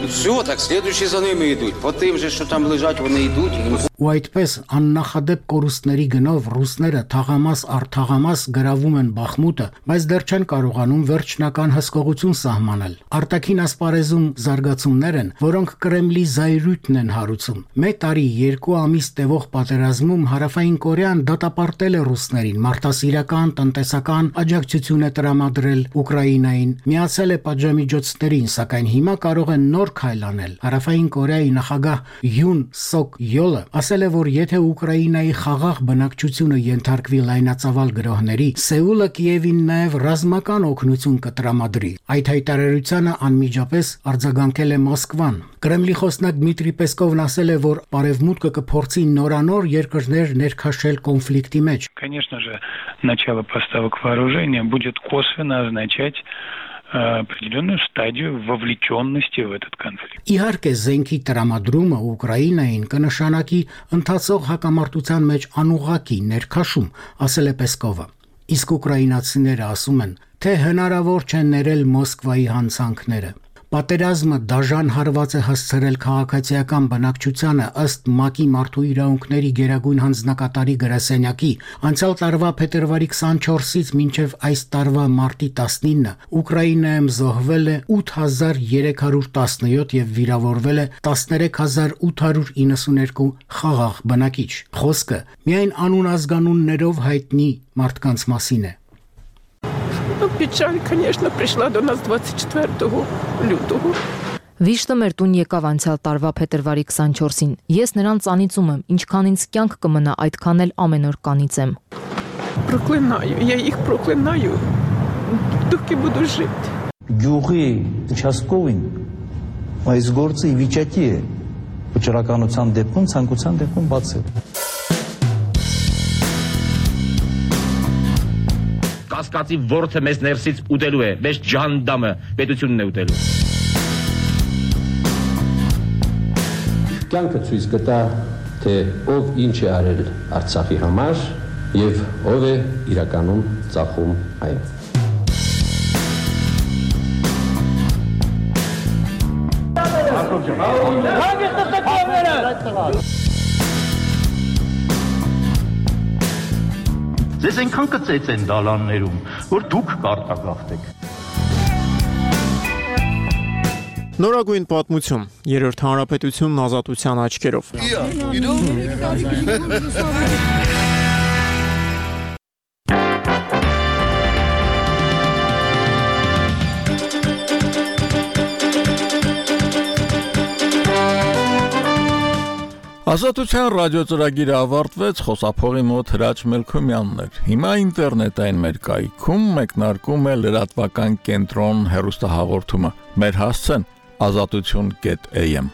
Все, так следующие за ними идут. По тим же, що там лежать, вони йдуть. Ու այդպես աննախադեպ կորուստների գնով ռուսները թաղամաս առ թաղամաս գրավում են Բախմուտը, բայց դեռ չեն կարողանում վերջնական հսկողություն սահմանել։ Արտաքին ասպարեզում զարգացումներ են, որոնք Կրեմլի զայրույթն են հարուցում։ Մեկ տարի 2 ամիս տևող պատերազմում Հարավային Կորեան դատապարտել է ռուսներին, մարդասիրական, տնտեսական աջակցություն է տրամադրել Ուկրաինային, միացել է պատժամիջոցներին, սակայն հիմա կարող են նոր քայլ անել։ Հարավային Կորեայի նախագահ Յուն Սոկ Յոլը ասել է, որ եթե Ուկրաինայի խաղաղ բնակչությունը ենթարկվի լայնածավալ գրոհների, Սեուլը Կիևին նաև ռազմական օգնություն կտրամադրի։ Այդ հայտարարությանը անմիջապես արձագանքել է Մոսկվան։ Կրեմլի խոսնակ Դմիտրի Պեսկովն ասել է, որ Արևմուտքը կփորձի նորանոր երկրներ ներքաշել կոնֆլիկտի մեջ։ Конечно же, начало поставок вооружения будет косвенно означать определенную стадию вовлеченности в этот конфликт. Իհարկե զենքի տրամադրումը Ուկրաինային կնշանակի ընթացող հակամարտության մեջ անուղղակի ներքաշում, ասել է Պեսկովը։ Իսկ ուկրաինացիները ասում են, թե հնարավոր չէ ներել Մոսկվայի հանցանքները։ Պատերազմը դաժան հարված է հասցրել քաղաքացիական բնակչությանը ըստ ՄԱԿ-ի մարդու իրավունքների գերագույն հանձնակատարի գրասենյակի անցյալ տարվա փետրվարի 24-ից մինչև այս տարվա մարտի 19-ը Ուկրաինայում զոհվել է 8317 եւ վիրավորվել է 13892 խաղաղ բնակիչ։ Խոսքը միայն անուն ազգանուններով հայտնի մարդկանց մասին է։ Печаль, конечно, пришла до нас 24 лютого. Վիշտը մեր տուն եկավ անցյալ տարվա փետրվարի 24-ին։ Ես նրան ծանիծում եմ, ինչքան ինձ կյանք կմնա, այդքան էլ ամեն օր կանիծեմ։ Проклинаю, я их проклинаю, доки буду жить. Գյուղի участковին այս գործը ի վիճակի է վճռականության դեպքում, ցանկության դեպքում բացել։ Կասկածի ворթը մեզ ներսից ուտելու է, մեզ ջանդամը պետությունն է ուտելու։ Կյանքը ցույց կտա, թե ով ինչ է արել Արցախի համար եւ ով է իրականում ծախում այն։ Ձեզ այնքան կծեց են դալաններում, որ դուք կարտագաղթեք։ Նորագույն պատմություն, երրորդ հանրապետությունն ազատության աչքերով։ Ազատության ռադիոծրագիրը ավարտվեց, խոսափողի մոտ Հրաչ Մելքոմյանն էր։ Հիմա ինտերնետային մեր կայքում մեկնարկում է լրատվական կենտրոն հեռուստահաղորդումը։ Մեր հասցեն ազատություն.am